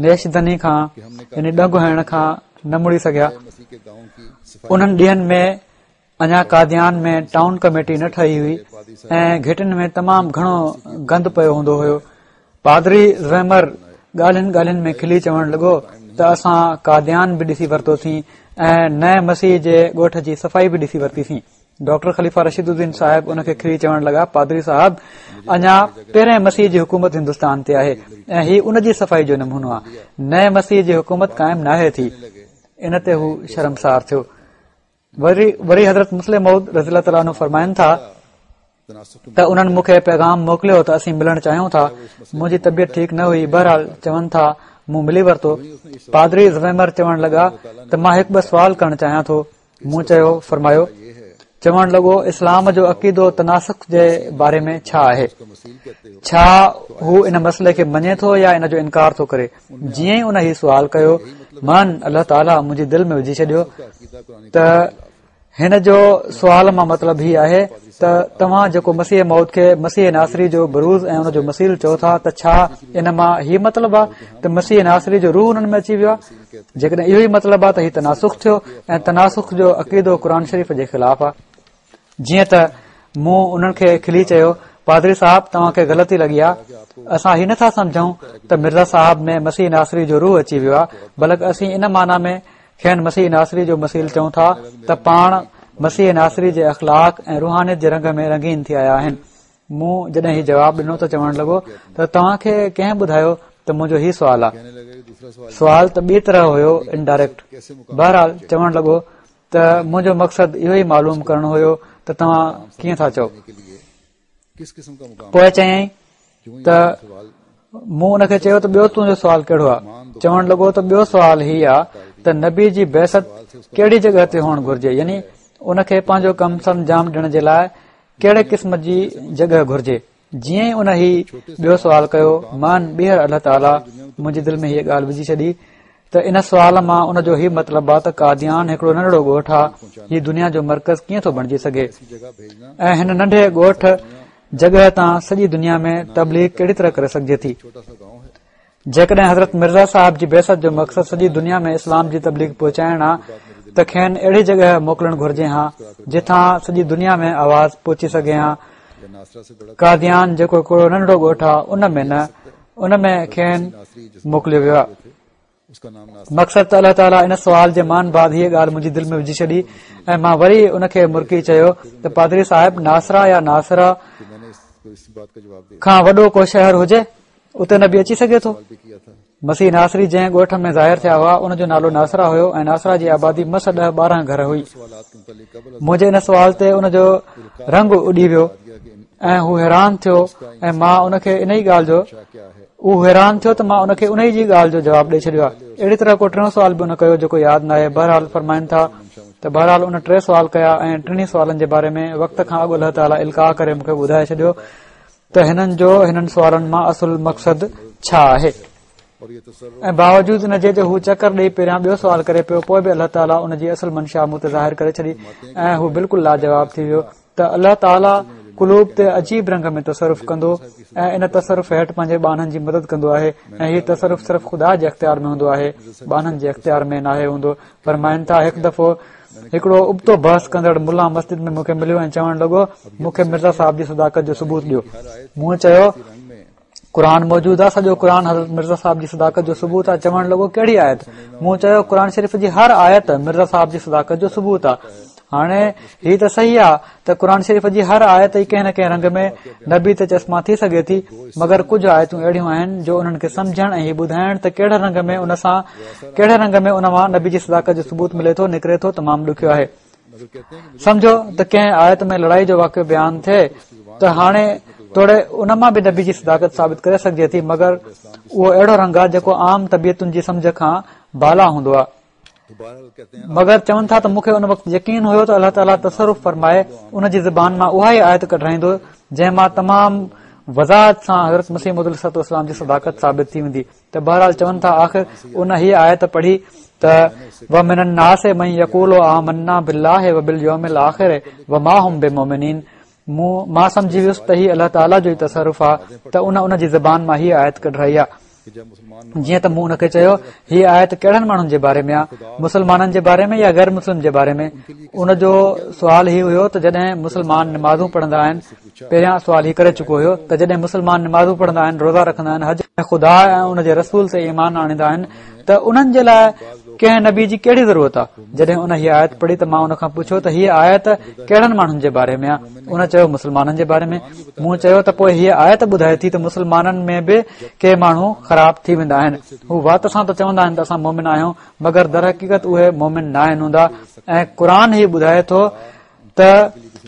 نيشدني کان يعني ڏنگ هڻڻ کان نه مڙي سگهيا. انهن ڏينهن ۾ اڃا قاديان ۾ ٽائون ڪميٽي نه ٺهي هئي ۽ گهٽين ۾ تمام گهڻو گند پيو هوندو هيو. پادري زيمر ڳالهين ڳالهين ۾ کلي چوڻ لڳو ته اسان قاديان به ڏسي ورتوسين ۽ نئين مسيح جي ڳوٺ جي صفائي به ڏسي ورتيسين. ڊاڪٽر خليفه رشيد الدين صاحب ان کي کلي چوڻ لڳا، پادري صاحب اڃا پهرين مسيح جي حڪومت هندستان تي آهي ۽ هي ان جي صفائي جو نمونو آهي، نئين مسيح جي حڪومت قائم ناهي ٿي. ان تي هو شرمسار ٿيو. وري وري حضرت مصلح موعود رضي الله تعاليٰ عنه فرمائن ٿا ته انهن مون کي پيغام موڪليو ته اسين ملڻ چاهيون ٿا. منهنجي طبيعت ٺيڪ نه هئي، بهرحال چون ٿا مون ملي ورتو. پادري زويمر چوڻ لڳا ته مان هڪ ٻه سوال ڪرڻ چاهيان ٿو. مون چيو فرمايو. چوڻ لڳو اسلام جو عقيدو تناسخ جي باري ۾ ڇا آهي؟ ڇا هو ان مسئلي کي مڃي ٿو يا ان جو انڪار ٿو ڪري؟ جيئن ئي ان هي سوال ڪيو، من الله تعاليٰ منهنجي دل ۾ وجهي ڇڏيو ته هن جو سوال مان مطلب هي آهي ته توهان جيڪو مسيح موعود کي مسيح ناصري جو بروز ۽ ان جو مثيل چئو ٿا ته ڇا ان مان هي مطلب آهي ته مسيح ناصري جو روح انهن ۾ اچي ويو آهي؟ جيڪڏهن اهو ئي مطلب آهي ته هي تناسخ ٿيو ۽ تناسخ جو عقيدو قرآن شريف جي خلاف آهي. جيئن ته مون انهن کي کلي چيو، پادري صاحب توهان کي غلطي لڳي آهي، اسان هي نٿا سمجهون ته مرزا صاحب ۾ مسيح ناصري جو روح اچي ويو آهي، بلڪ اسين ان معنيٰ ۾ کين مسيح ناصري جو مثيل چئون ٿا ته پاڻ مسيح ناصري جي اخلاق ۽ روحانيت جي رنگ ۾ رنگين ٿي آيا آهن. مون جڏهن هي جواب ڏنو ته چوڻ لڳو ته توهان کي ڪنهن ٻڌايو ته منهنجو هي سوال آهي؟ سوال ته ٻي طرح هيو، انڊائريڪٽ. بهرحال چوڻ لڳو ته منهنجو مقصد اهو ئي معلوم ڪرڻو هيو ته توهان ڪيئن ٿا چئو. پوءِ چيائين ته مون ان کي چيو ته ٻيو تنهنجو سوال ڪهڙو آهي؟ چوڻ لڳو ته ٻيو سوال هي آهي ته نبي جي بعثت ڪهڙي جڳهه تي هئڻ گهرجي، يعني ان کي پنهنجو ڪم سرانجام ڏيڻ جي لاءِ ڪهڙي قسم جي جڳهه گهرجي. جيئن ئي ان هي ٻيو سوال ڪيو، مان ٻيهر الله تعاليٰ منهنجي دل ۾ هيءَ ڳالهه وجهي ڇڏي ته ان سوال مان ان جو هي مطلب آهي ته قاديان هڪڙو ننڍڙو ڳوٺ آهي، هي دنيا جو مرڪز ڪيئن ٿو بڻجي سگهي ۽ هن ننڍي ڳوٺ جڳهه تان سڄي دنيا ۾ تبليغ ڪهڙي طرح ڪري سگهجي ٿي. جيڪڏهن حضرت مرزا صاحب جي بعثت جو مقصد سڄي دنيا ۾ اسلام جي تبليغ پهچائڻ آهي ته کين اهڙي جڳهه موڪلڻ گهرجي ها جتان سڄي دنيا ۾ آواز پهچي سگهي ها. قاديان جيڪو هڪڙو ننڍڙو ڳوٺ آهي ان ۾ نه، ان ۾ کين موڪليو ويو آهي. مقصد ته الله تعاليٰ ان سوال جي مان بعد هيء ڳالهه منهنجي دل ۾ وجهي ڇڏي ۽ مان وري ان کي مرڪي چيو ته پادري صاحب، ناصره يا ناصره کان وڏو ڪو شهر هجي اتي نبي اچي سگهي ٿو؟ مسيح ناصري جنهن ڳوٺ ۾ ظاهر ٿيا هئا ان جو نالو ناصره هيو ۽ ناصره جي آبادي مس ڏهه ٻارهن گهر هئي. منهنجي ان سوال تي ان جو رنگ اڏي ويو ۽ هو حيران ٿيو ۽ مان ان کي ان ئي ڳالهه جو اهو حيران ٿيو ته مان ان کي ان ئي جي ڳالهه جو جواب ڏئي ڇڏيو آهي. اهڙي طرح ڪو ٽيون سوال به ان ڪيو جيڪو ياد ناهي. بهرحال فرمائن ٿا ته بهرحال ان ٽي سوال ڪيا ۽ ٽنهي سوالن جي باري ۾ وقت کان اڳ الله تعاليٰ القاء ڪري مون کي ٻڌائي ڇڏيو ته هنن جو هنن سوالن مان اصل مقصد ڇا آهي. ۽ باوجود ان جي جو هو چڪر ڏئي پهريان ٻيو سوال ڪري پيو، پوء به الله تعاليٰ ان جي اصل منشا مون تي ظاهر ڪري ڇڏي ۽ هو بلڪل لاجواب ٿي ويو ته الله تعاليٰ قلوب تي عجيب رنگ ۾ تصرف ڪندو ۽ ان تصرف هيٺ پنهنجي ٻانهن جي مدد ڪندو آهي ۽ هي تصرف صرف خدا جي اختيار ۾ هوندو آهي، ٻانهن جي اختيار ۾ ناهي هوندو. فرمائن ٿا، هڪ دفعو هڪڙو ابتو بحث ڪندڙ ملا مسجد ۾ مون کي مليو ۽ چوڻ لڳو، مون کي مرزا صاحب جي صداقت جو ثبوت ڏيو. مون چيو، قرآن موجود آهي، سڄو قرآن حضرت مرزا صاحب جي صداقت جو ثبوت آهي. چوڻ لڳو، ڪهڙي آيت؟ مون چيو، قرآن شريف جي هر آيت مرزا صاحب جي صداقت جو ثبوت آهي. هاڻي هي ته صحيح آهي ته قرآن شريف جي هر آيت ئي ڪنهن نه ڪنهن رنگ ۾ نبي تي چشما ٿي سگهي ٿي، مگر ڪجهه آيتون اهڙيون آهن جو انهن کي سمجهڻ ۽ هي ٻڌائڻ ته ڪهڙي رنگ ۾ ان سان ڪهڙي رنگ ۾ ان مان نبي جي صداقت جو ثبوت ملي ٿو نڪري ٿو تمام ڏکيو آهي. سمجهو ته ڪنهن آيت ۾ لڙائي جو واقعو بيان ٿئي ته هاڻي توڙي ان مان به نبي جي صداقت ثابت ڪري سگهجي ٿي، مگر اهو اهڙو رنگ آهي جيڪو عام طبيعتن جي سمجهه کان بالا هوندو آهي. مگر چون ٿا ته مون کي ان وقت يقين هيو ته الله تعاليٰ تصرف فرمائي ان جي زبان مان اها ئي آيت ڪڍرائيندو جنهن مان تمام وضاحت سان حضرت مسيح موعود عليه الصلوة والسلام جي صداقت ثابت ٿي ويندي. ته بهرحال چون ٿا آخر ان هيء آيت پڙهي ته ومن الناس من يقول آمنا بالله وباليوم الاخر وما هم بمؤمنين. مون مان سمجهي ويس ته هي الله تعاليٰ جو ئي تصرف آهي ته ان ان جي زبان مان هيء آيت ڪڍرائي آهي. جيئن ته مون ان کي چيو، هيء آيت ڪهڙن ماڻهن جي باري ۾ آهي، مسلمانن جي باري ۾ يا غير مسلم جي باري ۾؟ ان جو سوال هي هيو ته جڏهن مسلمان نمازون پڙهندا آهن، پهريان سوال هي ڪري چڪو هيو ته جڏهن مسلمان نمازون پڙهندا آهن، روزا رکندا آهن، حج ۽ خدا ۽ ان جي رسول تي ايمان آڻيندا آهن ته انهن جي لاء ڪنهن نبي جي ڪهڙي ضرورت آهي؟ جڏهن ان هيء آيت پڙهي ته مان ان کان پڇيو ته هيء آيت ڪهڙن ماڻهن جي باري ۾ آهي؟ ان چيو مسلمانن جي باري ۾. مون چيو ته پوء هيء آيت ٻڌائي ٿي ته مسلمانن ۾ به ڪي ماڻهو خراب ٿي ويندا آهن. هو وات سان ته چوندا آهن ته اسان مومن آهيون، مگر درحقيقت اهي مومن ناهن هوندا ۽ قرآن هي ٻڌائي ٿو ته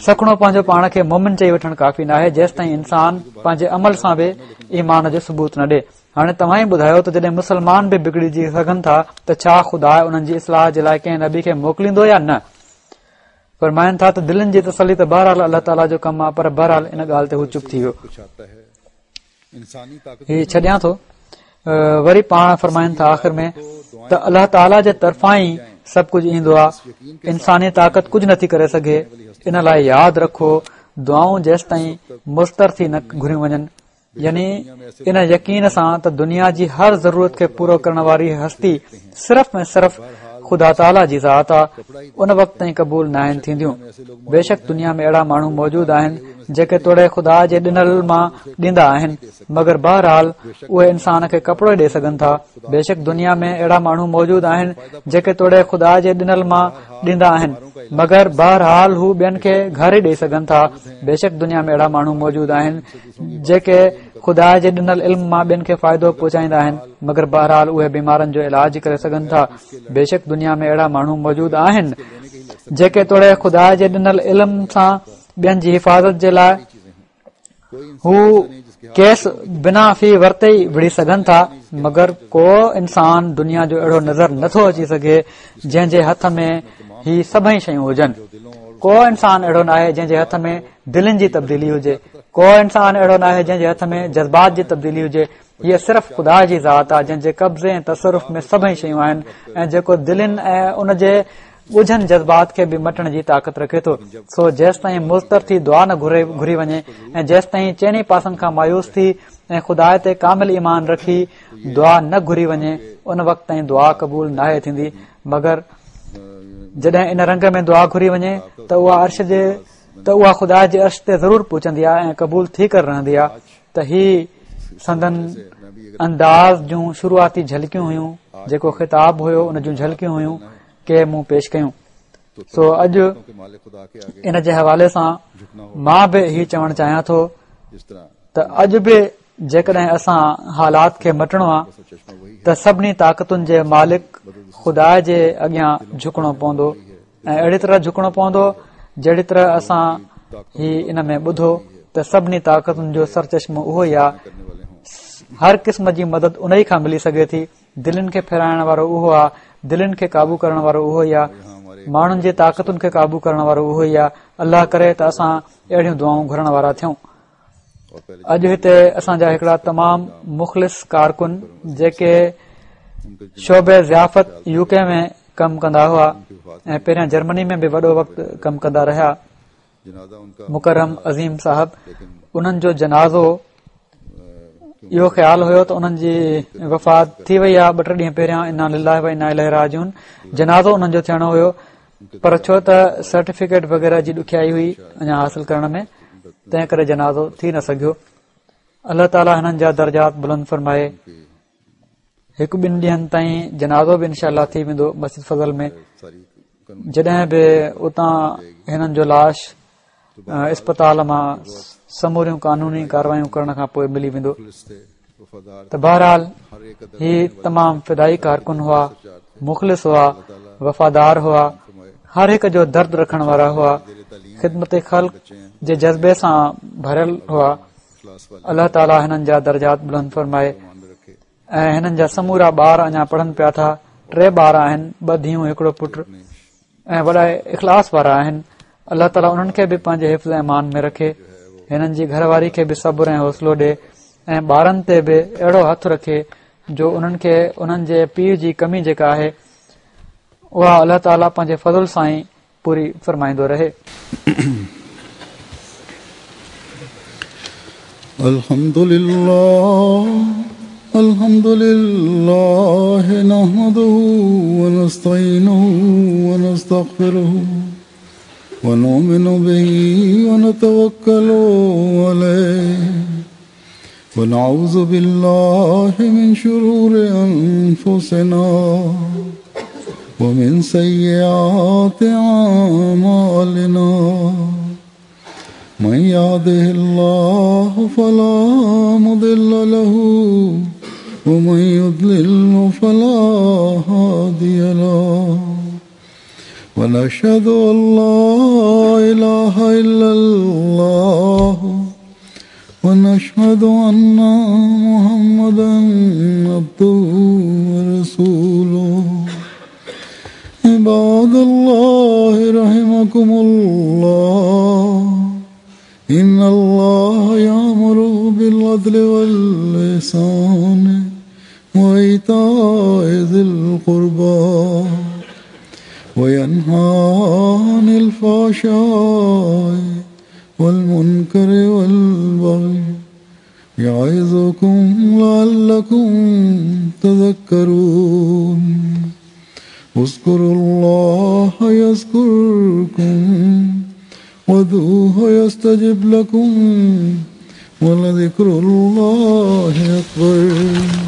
سکڻو پنهنجو پاڻ کي مومن چئي وٺڻ ڪافي ناهي جيستائين انسان پنهنجي عمل سان به ايمان جو ثبوت نه ڏي. هاڻي توهان ئي ٻڌايو ته جڏهن مسلمان به بگڙجي سگهن ٿا ته ڇا خدا انهن جي اصلاح جي لاء ڪنهن نبي کي موڪليندو يا نه؟ فرمائن ٿا ته دلن جي تسلي ته بهرحال الله تعاليٰ جو ڪم آهي، پر بهرحال ان ڳالهه تي هو چپ ٿي ويو. هي ڇڏيان ٿو. وري پاڻ فرمائن ٿا آخر ۾ ته الله تعاليٰ جي طرفان ئي سڀ ڪجهه ايندو آهي، انساني طاقت ڪجهه نٿي ڪري سگهي. ان لاء ياد رکو دعائون جيستائين مضطر ٿي نه گهريون وڃن، يعني ان يقين سان ته دنيا جي هر ضرورت کي پورو ڪرڻ واري هستي صرف ۽ صرف خدا تعاليٰ جي ذات آ، ان وقت تائين قبول ناهن ٿينديون. بيشڪ دنيا ۾ اهڙا ماڻهو موجود آهن جيڪي توڙي خدا جي ڏنل مان ڏيندا آهن، مگر بهرحال اهي انسان کي ڪپڙو ئي ڏئي سگهن ٿا. بيشڪ دنيا ۾ اهڙا ماڻهو موجود آهن جيڪي توڙي خدا جي ڏنل مان ڏيندا آهن، مگر بهرحال هو ٻين کي گهر ئي ڏئي سگهن ٿا. بيشڪ دنيا ۾ اهڙا ماڻهو موجود آهن جيڪي خدا جي ڏنل علم مان ٻين کي فائدو پهچائيندا آهن، مگر بهرحال اهي بيمارن جو علاج ڪري سگهن ٿا. بيشڪ دنيا ۾ اهڙا ماڻهو موجود آهن جيڪي توڙي خدا جي ڏنل علم سان ٻين جي حفاظت جي لاء هو ڪيس بنا في ورتي ئي وڙهي سگهن ٿا، مگر ڪو انسان دنيا جو اهڙو نظر نٿو اچي سگهي جنهن جي هٿ ۾ هي سڀئي شيون هجن. ڪو انسان اهڙو ناهي جنهن جي هٿ ۾ دلين جي تبديلي هجي. ڪو انسان اهڙو ناهي جنهن جي هٿ ۾ جذبات جي تبديلي هجي. هيء صرف خدا جي ذات آهي جنهن جي قبضي ۽ تصرف ۾ سڀئي شيون آهن ۽ جيڪو دلين ۽ ان جي ڳجهن جذبات کي به مٽڻ جي طاقت رکي ٿو. سو جيستائين مضطر ٿي دعا نه گهري وڃي ۽ جيستائين چئني پاسن کان مايوس ٿي ۽ خدا تي ڪامل ايمان رکي دعا نه گهري وڃي ان وقت تائين دعا قبول ناهي ٿيندي. مگر جڏهن ان رنگ ۾ دعا گهري وڃي ته اها عرش جي ته اها خدا جي عرش تي ضرور پهچندي آهي ۽ قبول ٿي ڪري رهندي آهي. ته هي سندن انداز جون شروعاتي جهلڪيون هيون، جيڪو خطاب هيو ان جون جهلڪيون هيون ڪي مون پيش ڪيون. سو اڄ ان جي حوالي سان مان به هي چوڻ چاهيان ٿو ته اڄ به جيڪڏهن اسان حالات کي مٽڻو آهي ته سڀني طاقتن جي مالڪ خدا جي اڳيان جهڪڻو پوندو ۽ اهڙي طرح جهڪڻو پوندو جهڙي طرح اسان هي ان ۾ ٻڌو ته سڀني طاقتن جو سرچشمو اهو ئي آهي. هر قسم جي مدد ان ئي کان ملي سگهي ٿي. دلين کي ڦيرائڻ وارو اهو آهي، دلين کي قابو ڪرڻ وارو اهو ئي آهي، ماڻهن جي طاقتن کي قابو ڪرڻ وارو اهو ئي آهي. الله ڪري ته اسان اهڙيون دعائون گهرڻ وارا ٿيون. اڄ هتي اسان جا هڪڙا تمام مخلص ڪارڪن جيڪي شعبي ضيافت يو ڪي ۾ ڪم ڪندا هئا ۽ پهريان جرمني ۾ به وڏو وقت ڪم ڪندا رهيا، مڪرم عظيم صاحب، انهن جو جنازو اهو خيال هيو ته انهن جي وفات ٿي وئي آهي ٻه ٽي ڏينهن پهريان، انا لله و انا اليه راجعون، جنازو انهن جو ٿيڻو هيو پر ڇو ته سرٽيفڪيٽ وغيره جي ڏکيائي هئي اڃا حاصل ڪرڻ ۾ تنهن ڪري جنازو ٿي نه سگهيو. الله تعاليٰ هنن جا درجات بلند فرمائي. هڪ ٻن ڏينهن تائين جنازو به انشاء الله ٿي ويندو مسجد فضل ۾. جڏهن به اتان هنن جو لاش اسپتال مان سموريون قانوني ڪاروايون ڪرڻ کان پوءِ ملي ويندو. ته بهرحال هي تمام فدائي ڪارڪن هئا، مخلص هئا، وفادار هئا، هر هڪ جو درد رکڻ وارا هئا، خدمت خلق جي جذبي سان ڀريل هئا. الله تعاليٰ هنن جا درجات بلند فرمائي. ۽ هنن جا سمورا ٻار اڃا پڙهن پيا ٿا. ٽي ٻار آهن، ٻه ڌيئون هڪڙو پٽ، ۽ وڏا اخلاص وارا آهن. الله تعاليٰ انهن کي به پنهنجي حفظ امان ۾ رکي، هنن جي گهر واري کي به صبر ۽ حوصلو ڏي ۽ ٻارن تي به اهڙو هٿ رکي جو انهن کي انهن جي پيءُ جي ڪمي جيڪا آهي اها الله تعاليٰ پنهنجي فضل سان ئي پوري فرمائيندو رهي. الحمد لله الحمد لله نحمده ونستعينه ونستغفره ونؤمن به ونتوكل عليه ونعوذ بالله من شرور أنفسنا ومن سيئات أعمالنا من يهده الله فلا مضل له ومن يضلل فلا هادي له ونشهد أن لا إله إلا الله ونشهد أن محمدا عبده ورسوله. عباد الله رحمكم الله، إن الله يأمر بالعدل والإحسان وإيتاء ذي القربى وينهى عن الفحشاء والمنكر والبغي يعظكم لعلكم تذكرون. اذكروا الله يذكركم وادعوه يستجب لكم ولذكر الله أكبر.